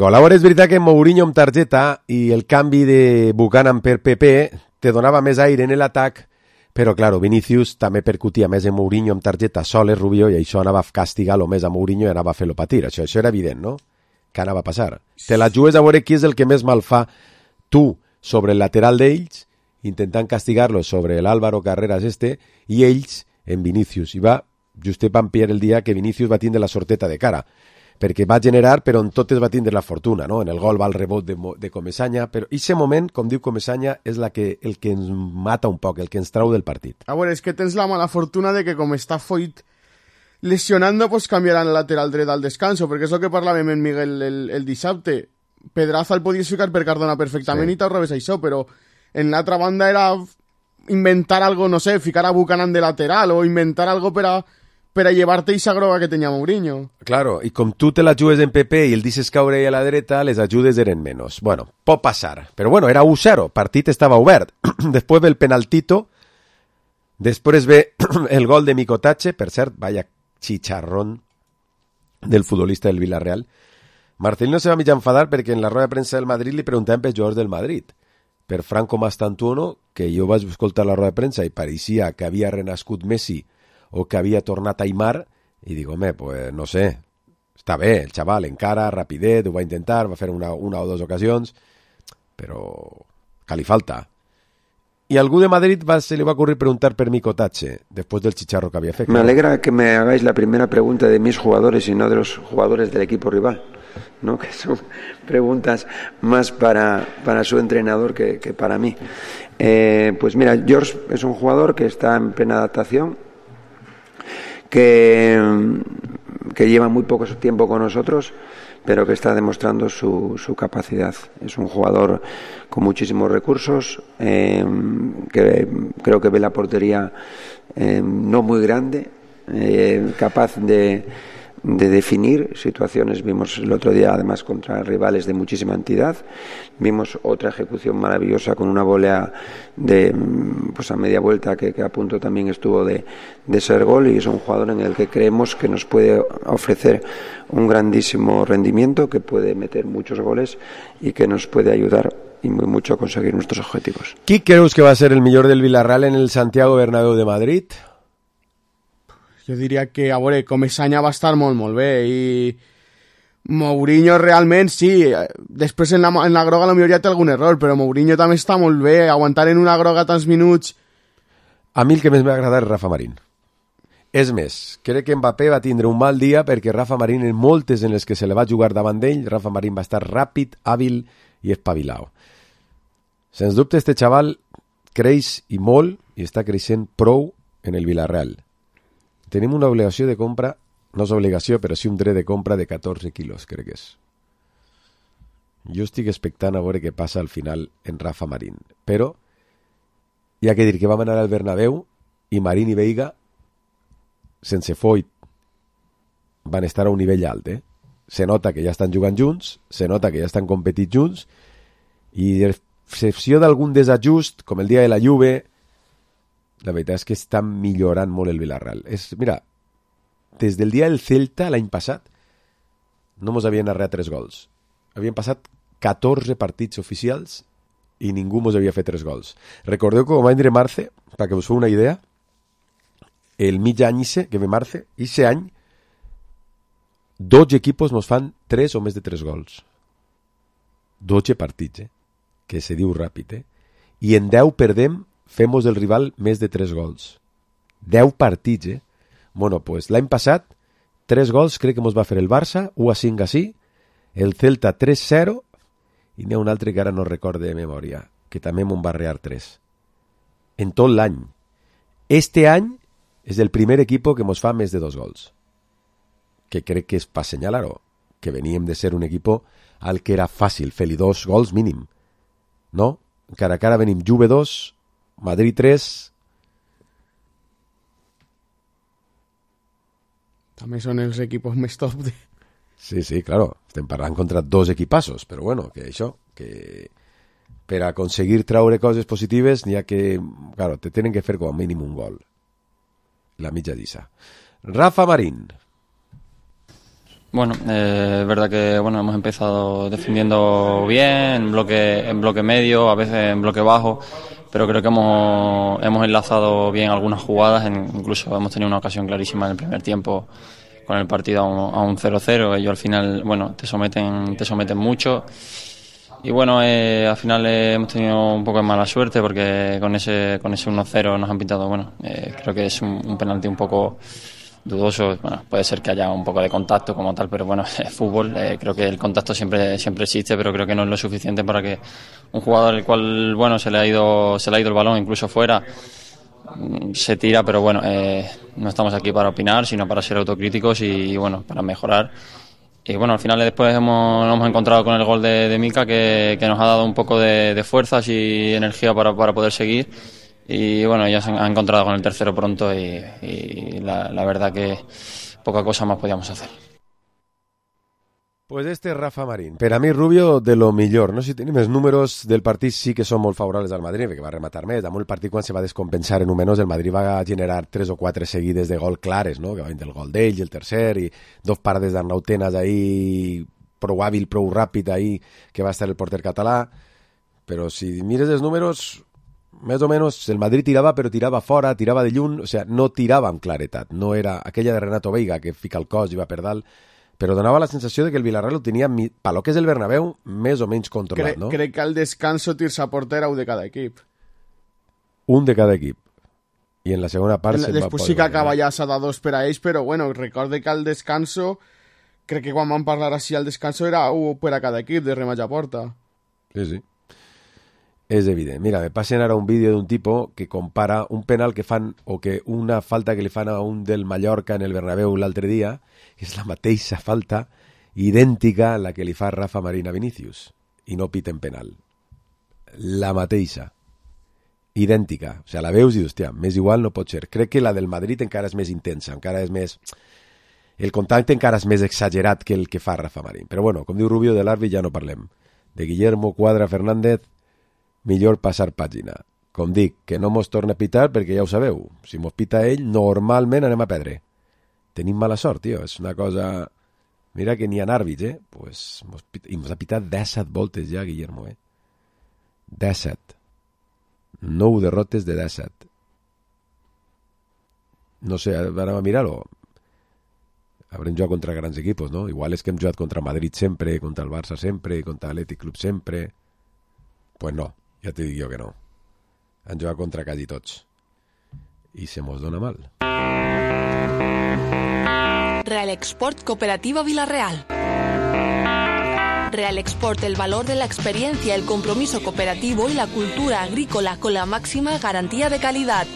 gol. Ara és veritat que Mourinho amb targeta i el canvi de Buchanan per PP te donava més aire en l'atac, però claro, Vinicius també percutia més en Mourinho amb targeta sol és Rubio i això anava a castigar-lo més a Mourinho i anava a fer-lo patir. Això era evident, no? Què anava a passar? Te la jugues a veure qui és el que més mal fa tu sobre el lateral d'ells, intentant castigar-lo sobre l'Álvaro Carreras i ells en Vinicius. I va just van pillar el dia que Vinicius va tindre la sorteta de cara, perquè va generar, però en totes va tindre la fortuna, no? En el gol va el rebot de Comesaña, però aquest moment, com diu Comesaña, és el que ens mata un poc, el que ens trau del partit. A veure, és que tens la mala fortuna de que com està Foyt lesionando, pues canviaran el lateral dret al descanso, perquè és el que parlàvem en Miguel el dissabte. Pedraza el podies ficar per Cardona perfectament i t'arrobes això, però en l'altra banda era inventar algo, no sé, ficar a Buchanan de lateral o inventar algo per a llevar-te esa groga que tenia Mourinho. Claro, i com tu te la jugues en PP i el deixes caure a la dreta, les ajudes eren menys. Bueno, pot passar. Però bueno, era 1-0, el partit estava obert. Després ve el penaltito, després ve el gol de Micotache, per cert, vaya chicharrón del futbolista del Villarreal. Marcelino se va mig enfadar perquè en la roda de premsa del Madrid li preguntaven per jugadors del Madrid. Per Franco Mastantuono, que jo vaig escoltar la roda de premsa i pareixia que havia renascut Messi o que havia tornat Aimar, i dic, home, pues no sé, està bé, el xaval encara, rapidet, ho va intentar, va fer una o dues ocasions, però que li falta. Y a algú de Madrid se le va a ocurrir preguntar per Micotache, después del chicharro que había feito. Me alegra que me hagáis la primera pregunta de mis jugadores y no de los jugadores del equipo rival, ¿no? Que son preguntas más para su entrenador que para mí. Pues mira, George es un jugador que está en plena adaptación, que que lleva muy poco tiempo con nosotros, pero que está demostrando su capacidad. Es un jugador con muchísimos recursos, que creo que ve la portería no muy grande, capaz de definir situaciones. Vimos el otro día además contra rivales de muchísima entidad, vimos otra ejecución maravillosa con una volea a media vuelta que a punto también estuvo de ser gol, y es un jugador en el que creemos que nos puede ofrecer un grandísimo rendimiento, que puede meter muchos goles y que nos puede ayudar y muy mucho a conseguir nuestros objetivos. Qui creus que va a ser el millor del Villarreal en el Santiago Bernabéu de Madrid? Jo diria que, a veure, Comesaña va estar molt, molt bé, i Mourinho realment, sí, després en la groga potser ja té algun error, però Mourinho també està molt bé, aguantar en una groga tants minuts. A mi el que més m'ha agradat és Rafa Marín. És més, crec que Mbappé va tindre un mal dia perquè Rafa Marín, en moltes en les que se le va jugar davant d'ell, Rafa Marín va estar ràpid, hàbil i espavilau. Sens dubte, este xaval creix i molt, i està creixent prou en el Villarreal. Tenim una obligació de compra, no és obligació, però sí un dret de compra de 14 quilos, crec que és. Jo estic expectant a veure què passa al final en Rafa Marín. Però hi ha que dir que vam anar al Bernabéu i Marín i Veiga, sense Foyt, van estar a un nivell alt, Se nota que ja estan jugant junts, se nota que ja estan competint junts, i excepció d'algun desajust, com el dia de la Juve, la veritat és que està millorant molt el Villarreal. Mira, des del dia del Celta l'any passat no mos havien arreat 3 gols. Havien passat 14 partits oficials i ningú mos havia fet 3 gols. Recordeu que com va vindre Marce, perquè us feu una idea, el mig any que ve Marce, ese any 12 equipos mos fan 3 o més de 3 gols. 12 partits, que se diu ràpid, i en 10 perdem, femos del rival més de 3 gols. 10 partits, Bueno, pues l'any passat 3 gols crec que mos va fer el Barça, 1-5 així, el Celta 3-0, i n'hi ha un altre que ara no recorde de memòria, que també m'on va arrear 3. En tot l'any. Este any és el primer equip que mos fa més de 2 gols. Que crec que és per assenyalar-ho, que veníem de ser un equip al que era fàcil fer-li 2 gols mínim. No? Cara a cara venim Juve 2, Madrid 3. També són els equipos més top de... Sí, claro, estem parlant contra 2 equipassos, però bueno, que això, que per aconseguir traure coses positives n'hi ha que, claro, te tenen que fer com a mínim un gol. La mitja d'issa. Rafa Marín. Bueno, es verdad que bueno, hemos empezado defendiendo bien, en bloque medio, a veces en bloque bajo, pero creo que hemos enlazado bien algunas jugadas, incluso hemos tenido una ocasión clarísima en el primer tiempo con el partido a un 0-0. Ellos al final, bueno, te someten mucho. Y bueno, al final hemos tenido un poco de mala suerte porque con ese 1-0 nos han pintado, bueno, creo que es un penalti un poco dudoso. Bueno, puede ser que haya un poco de contacto como tal, pero bueno, es fútbol, creo que el contacto siempre existe, pero creo que no es lo suficiente para que un jugador al cual, bueno, se le ha ido el balón incluso fuera, se tira, pero bueno, no estamos aquí para opinar, sino para ser autocríticos y bueno, para mejorar. Y bueno, al final después nos hemos encontrado con el gol de Mika que nos ha dado un poco de fuerzas y energía para poder seguir. Y bueno, ya se han encontrado con el tercero pronto y la verdad que poca cosa más podíamos hacer. Pues este és Rafa Marín. Per a mi, Rubio, de lo millor. No sé si tenim els números del partit, sí que són molt favorables al Madrid, perquè va rematar més. Damunt el partit, quan se va descompensar en un menys, el Madrid va generar 3 o 4 seguides de gol clares, no? Que va vindre el gol d'ell i el tercer, i 2 parades d'Arnau Tenas ahí, prou hàbil, prou ràpid ahí, que va estar el porter català. Però si mires els números, més o menys el Madrid tirava, però tirava fora, tirava de lluny, o sigui, no tirava amb claretat. No era aquella de Renato Veiga, que fica el cos i va per dalt, però donava la sensació de que el Villarreal ho tenia, per lo que és el Bernabéu, més o menys controlat, no? Crec que al descanso tirs a porter un de cada equip. Un de cada equip. I en la segona part... Després sí que acaba ja s'ha de 2 per a ells, però bueno, recorde que al descanso, crec que quan vam parlar així al descanso era 1 per a cada equip de rematge a porta. Sí. És evident. Mira, me passen ara un vídeo d'un tipo que compara un penal que fan o que una falta que li fan a un del Mallorca en el Bernabéu l'altre dia, que és la mateixa falta idèntica a la que li fa Rafa Marín a Vinícius i no piten penal. La mateixa. Idèntica. O sigui, la veus i dius, hòstia, més igual no pot ser. Crec que la del Madrid encara és més intensa, encara és més... El contacte encara és més exagerat que el que fa Rafa Marín. Però bueno, com diu Rubio, de l'àrbit ja no parlem. De Guillermo Cuadra Fernández, millor passar pàgina. Com dic, que no mos torna a pitar perquè ja ho sabeu. Si mos pita ell, normalment anem a perdre. Tenim mala sort, tio. És una cosa... Mira que n'hi ha àrbits, Pues mos ha pitat 17 voltes ja, Guillermo, 17. 9 derrotes de 17. No sé, anem a mirar-ho. Habrem jugat contra grans equipos, no? Igual és que hem jugat contra Madrid sempre, contra el Barça sempre, contra l'Atlètic Club sempre. Pues no, ja te dic jo que no. Han jugat contra quasi tots. I se mos dona mal. Real Export Cooperativa Villarreal. Real Export, el valor de la experiencia, el compromiso cooperativo y la cultura agrícola con la máxima garantía de calidad.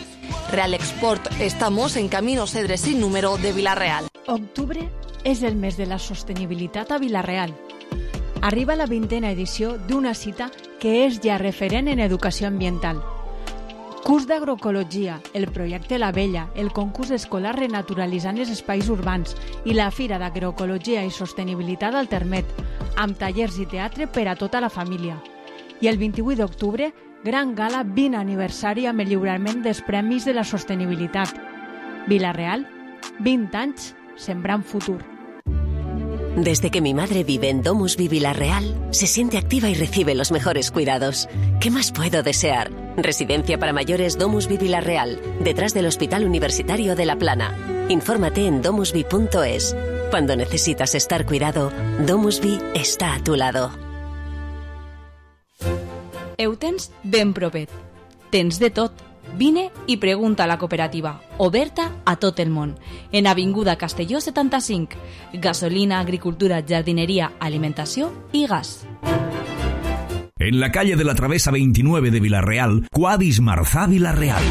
Real Export, estamos en Camino Cedre sin número de Villarreal. Octubre és el mes de la sostenibilitat a Villarreal. Arriba la 20a edició d'una cita que és ja referent en educació ambiental. Curs d'agroecologia, el projecte La Vella, el concurs escolar Renaturalitzant els espais urbans i la Fira d'Agroecologia i Sostenibilitat al Termet, amb tallers i teatre per a tota la família. I el 28 d'octubre, gran gala 20 aniversari amb el lliurament dels Premis de la Sostenibilitat. Villarreal, 20 anys sembrant futur. Desde que mi madre vive en Domusvi Villarreal, se siente activa y recibe los mejores cuidados. ¿Qué más puedo desear? Residencia para mayores Domusvi Villarreal, detrás del Hospital Universitario de La Plana. Infórmate en domusvi.es. Cuando necesitas estar cuidado, Domusvi está a tu lado. Ho tens ben propet. Tens de tot. Vine i pregunta a la cooperativa, oberta a tot el món. En Avinguda Castelló 75. Gasolina, agricultura, jardinería, alimentació i gas. En la calle de la Travesa 29 de Villarreal, Quadis Marzá Villarreal.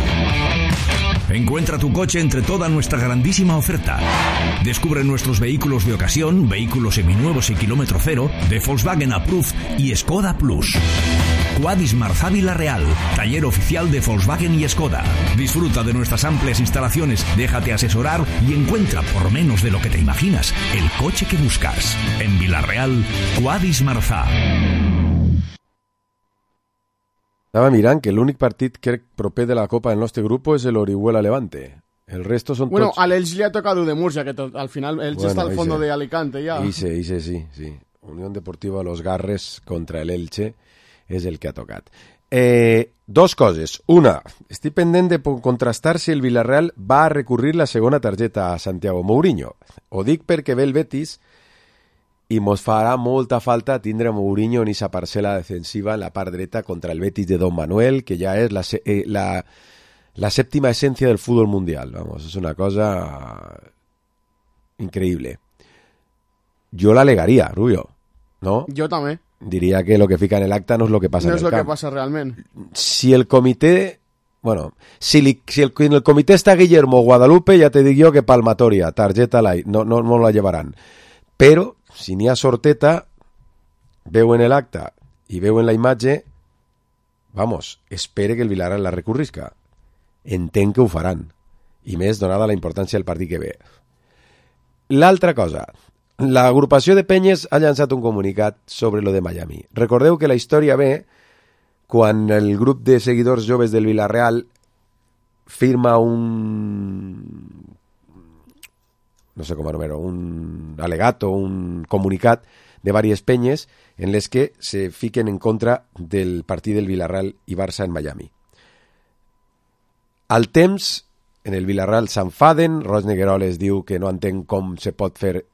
Encuentra tu coche entre toda nuestra grandísima oferta. Descubre nuestros vehículos de ocasión, vehículos seminuevos y kilómetro cero, de Volkswagen Approved y Skoda Plus. Quadis Marzá Villarreal, taller oficial de Volkswagen y Skoda. Disfruta de nuestras amplias instalaciones, déjate asesorar y encuentra, por menos de lo que te imaginas, el coche que buscas. En Villarreal, Quadis Marzá. Estava mirant que l'únic partit crec proper de la Copa del nostre grup és l'Orihuela Levante. El resto són bueno, tots... a l'Elx li ha tocado de Murcia, que al final Elx está al fondo de Alicante ya. Ise, sí. Unión Deportiva Los Garres contra el Elche és el que ha tocat. Dos coses. Una, estic pendent de contrastar si el Villarreal va a recurrir la segona targeta a Santiago Mourinho. Ho dic perquè ve el Betis i mos farà molta falta tindre a Mourinho en esa parcel·la defensiva en la part dreta contra el Betis de Don Manuel, que ja és la séptima esencia del fútbol mundial. Vamos, es una cosa increíble. Yo la alegaría, Rubio, ¿no? Yo también. Diría que lo que fica en el acta no es lo que pasa en el camp. No es lo que pasa realmente. Si el comité... Bueno, si en el comité está Guillermo Guadalupe, ya te digo que palmatoria, tarjeta light, no la llevarán. Pero... si n'hi ha sorteta, veu en l'acte i veu en la imatge, vamos, espere que el Villarreal la recurrisca. Entenc que ho faran. I més donada la importància del partit que ve. L'altra cosa, l'agrupació de penyes ha llançat un comunicat sobre lo de Miami. Recordeu que la història ve quan el grup de seguidors joves del Villarreal firma no sé com anomenar, un alegato, un comunicat de diverses penyes en les que se fiquen en contra del partit del Villarreal i Barça en Miami. Al temps, en el Villarreal s'enfaden, Roig Negueroles diu que no entén com se pot fer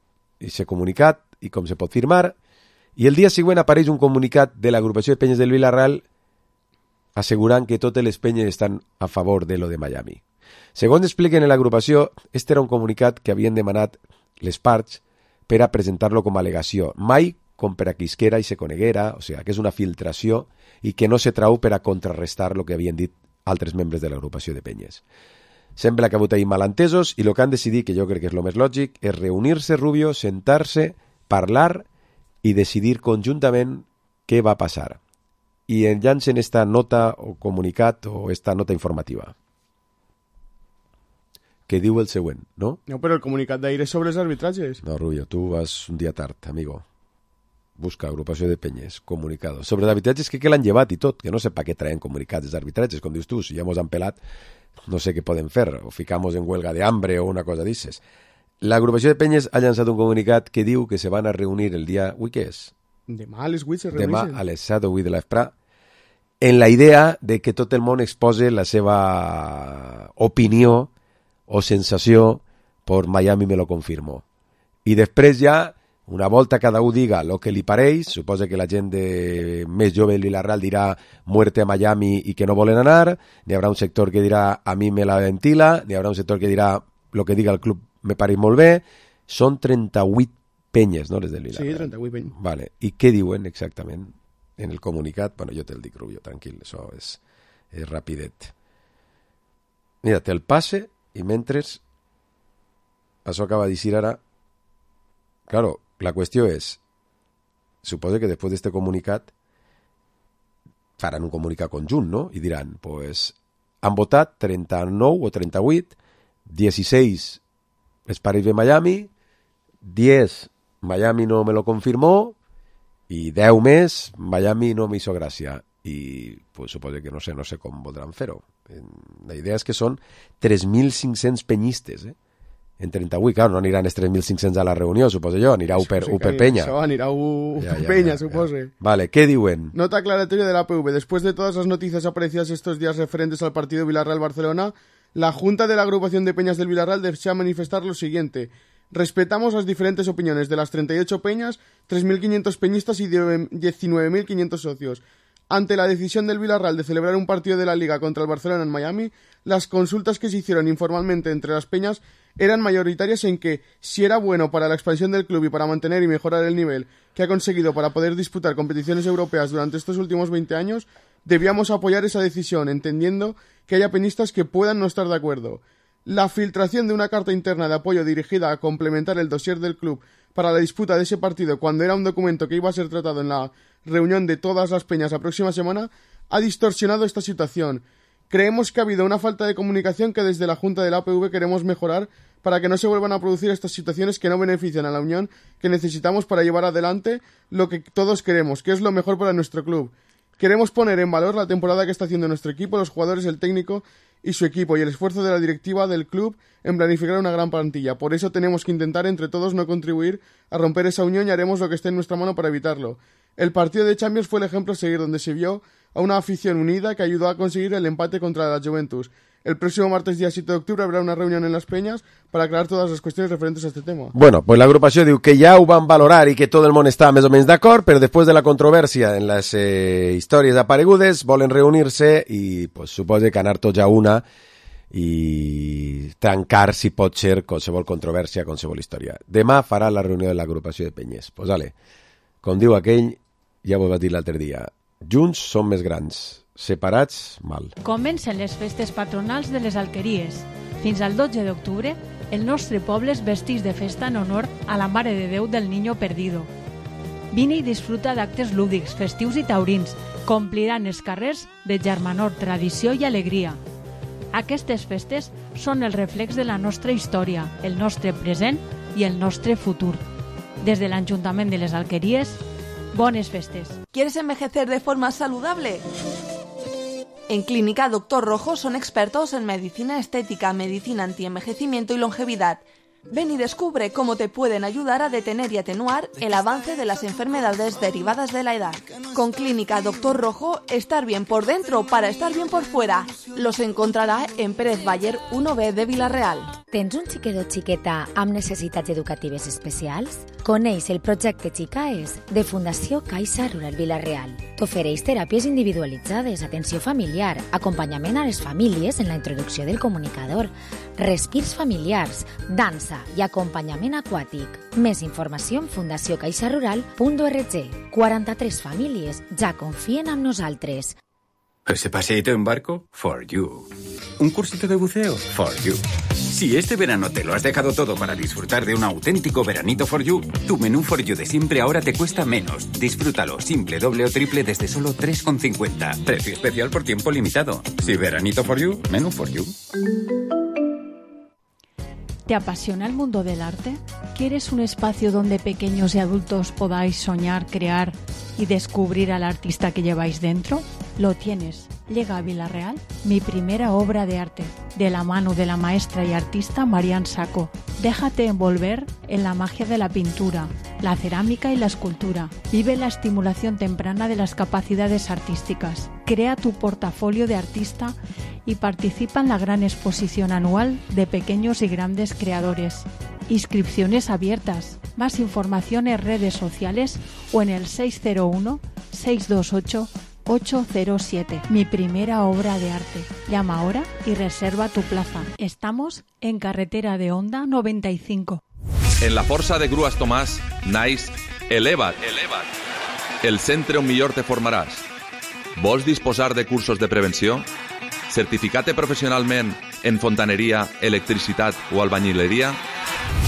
aquest comunicat i com se pot firmar, i el dia següent apareix un comunicat de l'agrupació de penyes del Villarreal assegurant que totes les penyes estan a favor de lo de Miami. Segons expliquen en l'agrupació, este era un comunicat que havien demanat les parts per a presentar-lo com a al·legació. Mai com per a qui isquera i se coneguera, o sigui, que és una filtració i que no se trau per a contrarrestar el que havien dit altres membres de l'agrupació de penyes. Sembla que ha hagut ahir malentesos i el que han decidit, que jo crec que és el més lògic, és reunir-se, Rubio, sentar-se, parlar i decidir conjuntament què va passar. I enllancen esta nota o comunicat o esta nota informativa que diu el següent, no? No, però el comunicat d'ahir és sobre els arbitratges. No, Rubio, tu vas un dia tard, amigo. Busca agrupació de penyes, comunicado. Sobre d'arbitratges que l'han llevat i tot, que no sé per què traen comunicats d'arbitratges, com dius tu, si ja mos han pelat, no sé què podem fer, o ficamos en huelga de hambre o una cosa d'isses. L'agrupació de penyes ha llançat un comunicat que diu que se van a reunir el dia... Ui, què és? Demà a les 8 se reuneixen. Demà a les 7 o 8 de l'Esprà, en la idea de que tot el món expose la seva opinió o sensació por Miami me lo confirmo. I després ja, una volta cada un diga el que li pareix, suposa que la gent més jove del Villarreal dirà muerte a Miami i que no volen anar, n'hi haurà un sector que dirà a mi me la ventila, n'hi haurà un sector que dirà lo que diga el club me pareix molt bé. Són 38 penyes, no, les del Villarreal? Sí, 38 penyes. Vale. I què diuen exactament en el comunicat? Bueno, jo te'l dic, Rubio, tranquil, això és rapidet. Mira, te'l passe i mentre això acaba de dir ara, claro, la qüestió és, suposa que després d'este comunicat faran un comunicat conjunt, no? I diran, pues, han votat 39 o 38, 16 es pareix de Miami, 10 Miami no me lo confirmó i 10 més Miami no me hizo gràcia. I pues, suposo que no sé com voldran fer-ho. La idea és que són 3.500 penyistes, en 38, claro, no aniran els 3.500 a la reunió, suposo jo, anirà per Penya. Això, anirà per Penya, suposo. Vale, ¿qué diuen? Nota aclaratoria de la APV. Después de todas las noticias aparecidas estos días referentes al partido Villarreal-Barcelona, la Junta de la Agrupación de Peñas del Villarreal desea manifestar lo siguiente. Respetamos las diferentes opiniones de las 38 peñas, 3.500 peñistas y 19.500 socios. Ante la decisión del Villarreal de celebrar un partido de la Liga contra el Barcelona en Miami, las consultas que se hicieron informalmente entre las peñas eran mayoritarias en que, si era bueno para la expansión del club y para mantener y mejorar el nivel que ha conseguido para poder disputar competiciones europeas durante estos últimos 20 años, debíamos apoyar esa decisión, entendiendo que haya peñistas que puedan no estar de acuerdo. La filtración de una carta interna de apoyo dirigida a complementar el dossier del club para la disputa de ese partido, cuando era un documento que iba a ser tratado en la reunión de todas las peñas la próxima semana, ha distorsionado esta situación. Creemos que ha habido una falta de comunicación que desde la Junta de la APV queremos mejorar para que no se vuelvan a producir estas situaciones que no benefician a la unión que necesitamos para llevar adelante lo que todos queremos, que es lo mejor para nuestro club. Queremos poner en valor la temporada que está haciendo nuestro equipo, los jugadores, el técnico y su equipo, y el esfuerzo de la directiva del club en planificar una gran plantilla. Por eso tenemos que intentar entre todos no contribuir a romper esa unión y haremos lo que esté en nuestra mano para evitarlo. El partido de Champions fue el ejemplo a seguir, donde se vio a una afición unida que ayudó a conseguir el empate contra la Juventus. El próximo martes, día 7 de octubre, habrá una reunión en Las Peñas para aclarar todas les qüestions referents a este tema. Bueno, pues l'agrupació diu que ja ho van valorar i que tot el món està més o menys d'acord, però després de la controvèrsia en les històries aparegudes volen reunir-se i pues, suposa que anar tots a una i tancar, si pot ser, qualsevol controvèrsia, qualsevol història. Demà farà la reunió de l'agrupació de penyes. Pues vale, com diu aquell, ja ho vas dir l'altre dia, junts som més grans, separats, mal. Comencen les festes patronals de les Alqueries. Fins al 12 d'octubre, el nostre poble es vesteix de festa en honor a la Mare de Déu del Niño Perdido. Vine i disfruta d'actes lúdics, festius i taurins, que ompliran els carrers de germanor, tradició i alegria. Aquestes festes són el reflex de la nostra història, el nostre present i el nostre futur. Des de l'Ajuntament de les Alqueries, bones festes. ¿Quieres envejecer de forma saludable? En Clínica Doctor Rojo son expertos en medicina estética, medicina antienvejecimiento y longevidad. Ven y descubre cómo te pueden ayudar a detener y atenuar el avance de las enfermedades derivadas de la edad. Con Clínica Doctor Rojo, estar bien por dentro para estar bien por fuera. Los encontrarà en Pérez Bayer 1B de Vila-real. Tens un xiquet o xiqueta amb necessitats educatives especials? Coneix el projecte Xicaes de Fundació Caixa Rural Vila-real. T'ofereix teràpies individualitzades, atenció familiar, acompanyament a les famílies en la introducció del comunicador, respirs familiars, dansa i acompanyament aquàtic. Més informació en fundaciocaixarural.org. 43 famílies ja confien en nosaltres. ¿Ese paseíto en barco? For you. ¿Un cursito de buceo? For you. Si este verano te lo has dejado todo para disfrutar de un auténtico veranito for you, tu menú for you de siempre ahora te cuesta menos. Disfrútalo simple, doble o triple desde solo 3,50. Precio especial por tiempo limitado. Si veranito for you, menú for you. ¿Te apasiona el mundo del arte? ¿Quieres un espacio donde pequeños y adultos podáis soñar, crear y descubrir al artista que lleváis dentro? Lo tienes. Llega a Vila-real mi primera obra de arte, de la mano de la maestra y artista Marian Sacco. Déjate envolver en la magia de la pintura, la cerámica y la escultura. Vive la estimulación temprana de las capacidades artísticas. Crea tu portafolio de artista y participa en la gran exposición anual de pequeños y grandes creadores. Inscripciones abiertas. Más información en redes sociales o en el 601-628-807. Mi primera obra de arte. Llama ahora y reserva tu plaza. Estamos en carretera de Onda 95. En la Força de Grues Tomàs naix Eleva't. El centre on millor te formaràs. Vols disposar de cursos de prevenció? Certificat professionalment en fontaneria, electricitat o albañileria?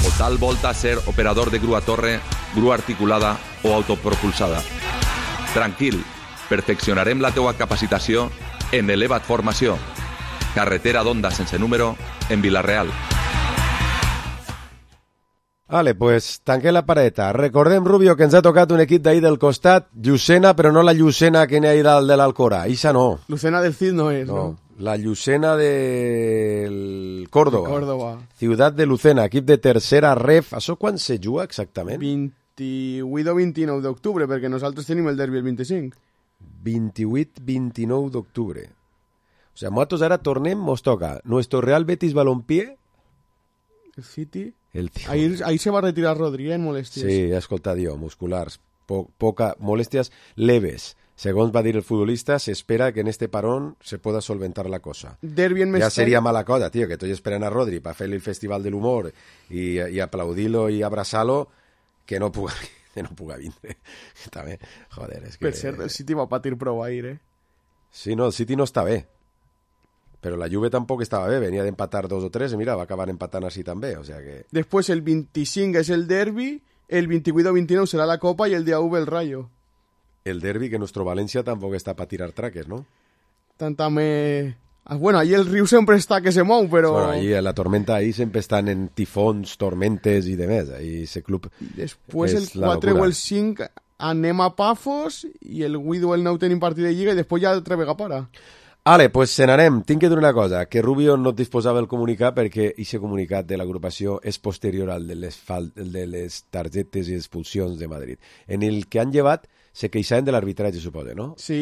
O tal volta ser operador de grua torre, grua articulada o autopropulsada? Tranquil, perfeccionarem la teua capacitació en Eleva't Formació. Carretera d'Onda sense número, en Vila-real. Vale, pues tanquem la pareta. Recordem, Rubio, que ens ha tocat un equip d'ahir del costat, Llucena, però no la Llucena que n'hi ha ahir dalt de l'Alcora. Ixa no. Lucena del Cid no és, no? La Llucena del Córdoba. Córdoba. Ciutat de Lucena, equip de tercera ref. Això quan se juga exactament? 28 o 29 d'octubre, perquè nosaltres tenim el derbi el 25. 28-29 d'octubre. O sea, nosaltres ara tornem, mos toca nuestro Real Betis Balompié. El City. Ahí se va a retirar Rodri, en molèsties. Sí, he escoltat jo, musculars. Molèsties leves. Segons va dir el futbolista, s'espera que en este parón se pueda solventar la cosa. Ja seria mala cosa, tío, que estoy esperant a Rodri para fer-li el Festival de l'Humor y aplaudir-lo y abrazar-lo, que no puga vindre. També, joder, és que... Per cert, el City va patir prou ahir, Sí, no, el City no està bé. Però la Juve tampoc estava bé, venia d'empatar 2 o 3 i mira, va acabar empatant així també, o sea que... Després el 25 és el derbi, el 28 o 29 serà la Copa i el dia 1 el Rayo. El derbi, que nuestro Valencia tampoc està per tirar traques, no? També... Bueno, ahí el riu sempre està que se mou, però... Bueno, ahí la tormenta, ahí sempre estan en tifons, tormentes i demés. Ahí ese club... Després el 4 o el 5 anem a Pafos i el 8 o el 9 tenim partit de Lliga i després ja altra vegada para. Vale, pues se n'anem. Tinc que dir una cosa, que Rubio no disposava el comunicat perquè aquest comunicat de l'agrupació és posterior al de les targetes i expulsions de Madrid. En el que han llevat se queixaven de l'arbitratge, suposa, no? Sí,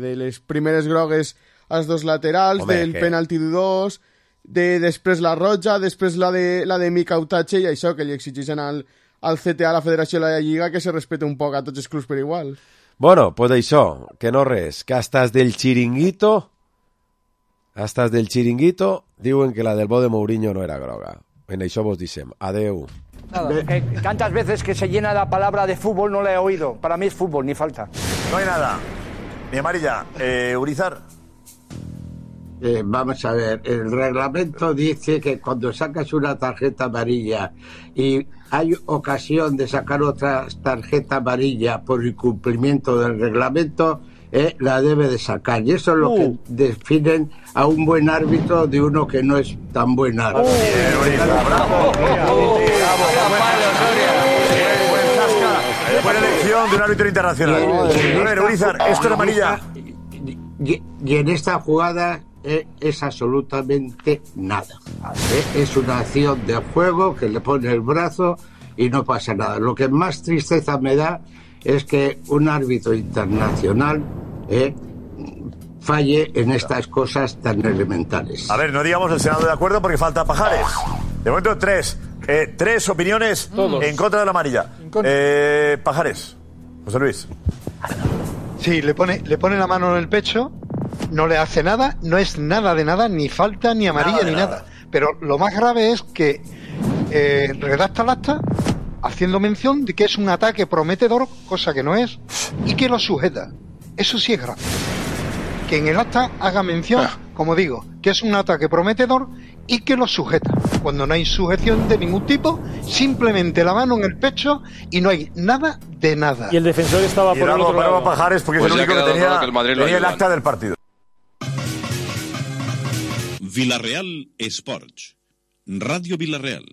de les primeres grogues als dos laterals, del penalti dudós, després la roja, després la de Mica Utache i això, que li exigeixen al CTA, a la Federació de la Lliga, que se respete un poc a tots els clubs per igual. Bueno, pues això, que no res, que hasta del chiringuito diuen que la del bo de Mourinho no era groga. En això vos dicem. Adeu. Tantas veces que se llena la palabra de fútbol no la he oído. Para mí es fútbol, ni falta. No hay nada. Ni amarilla. Urizar. Vamos a ver, el reglamento dice que cuando sacas una tarjeta amarilla y hay ocasión de sacar otra tarjeta amarilla por incumplimiento del reglamento, la debe de sacar. Y eso es lo que definen a un buen árbitro de uno que no es tan buen árbitro. Buena elección de un árbitro internacional. A ver, Urizar, esto es amarilla. Y en esta jugada es absolutamente nada. Es una acción de juego que le pone el brazo y no pasa nada. Lo que más tristeza me da es que un árbitro internacional falle en estas cosas tan elementales. A ver, no digamos el Senado de acuerdo porque falta Pajares. De momento tres opiniones en contra de la amarilla. Pajares. José Luis. Sí, le pone la mano en el pecho, no le hace nada, no es nada de nada, ni falta, ni amarilla, ni nada. Pero lo más grave es que redacta el acta haciendo mención de que es un ataque prometedor, cosa que no es, y que lo sujeta. Eso sí es grave. Que en el acta haga mención, como digo, que es un ataque prometedor y que lo sujeta. Cuando no hay sujeción de ningún tipo, simplemente la mano en el pecho y no hay nada de nada. Y el defensor estaba por el otro lado. Pajares porque es el único que tenía el acta del partido. Villarreal Sports. Radio Villarreal.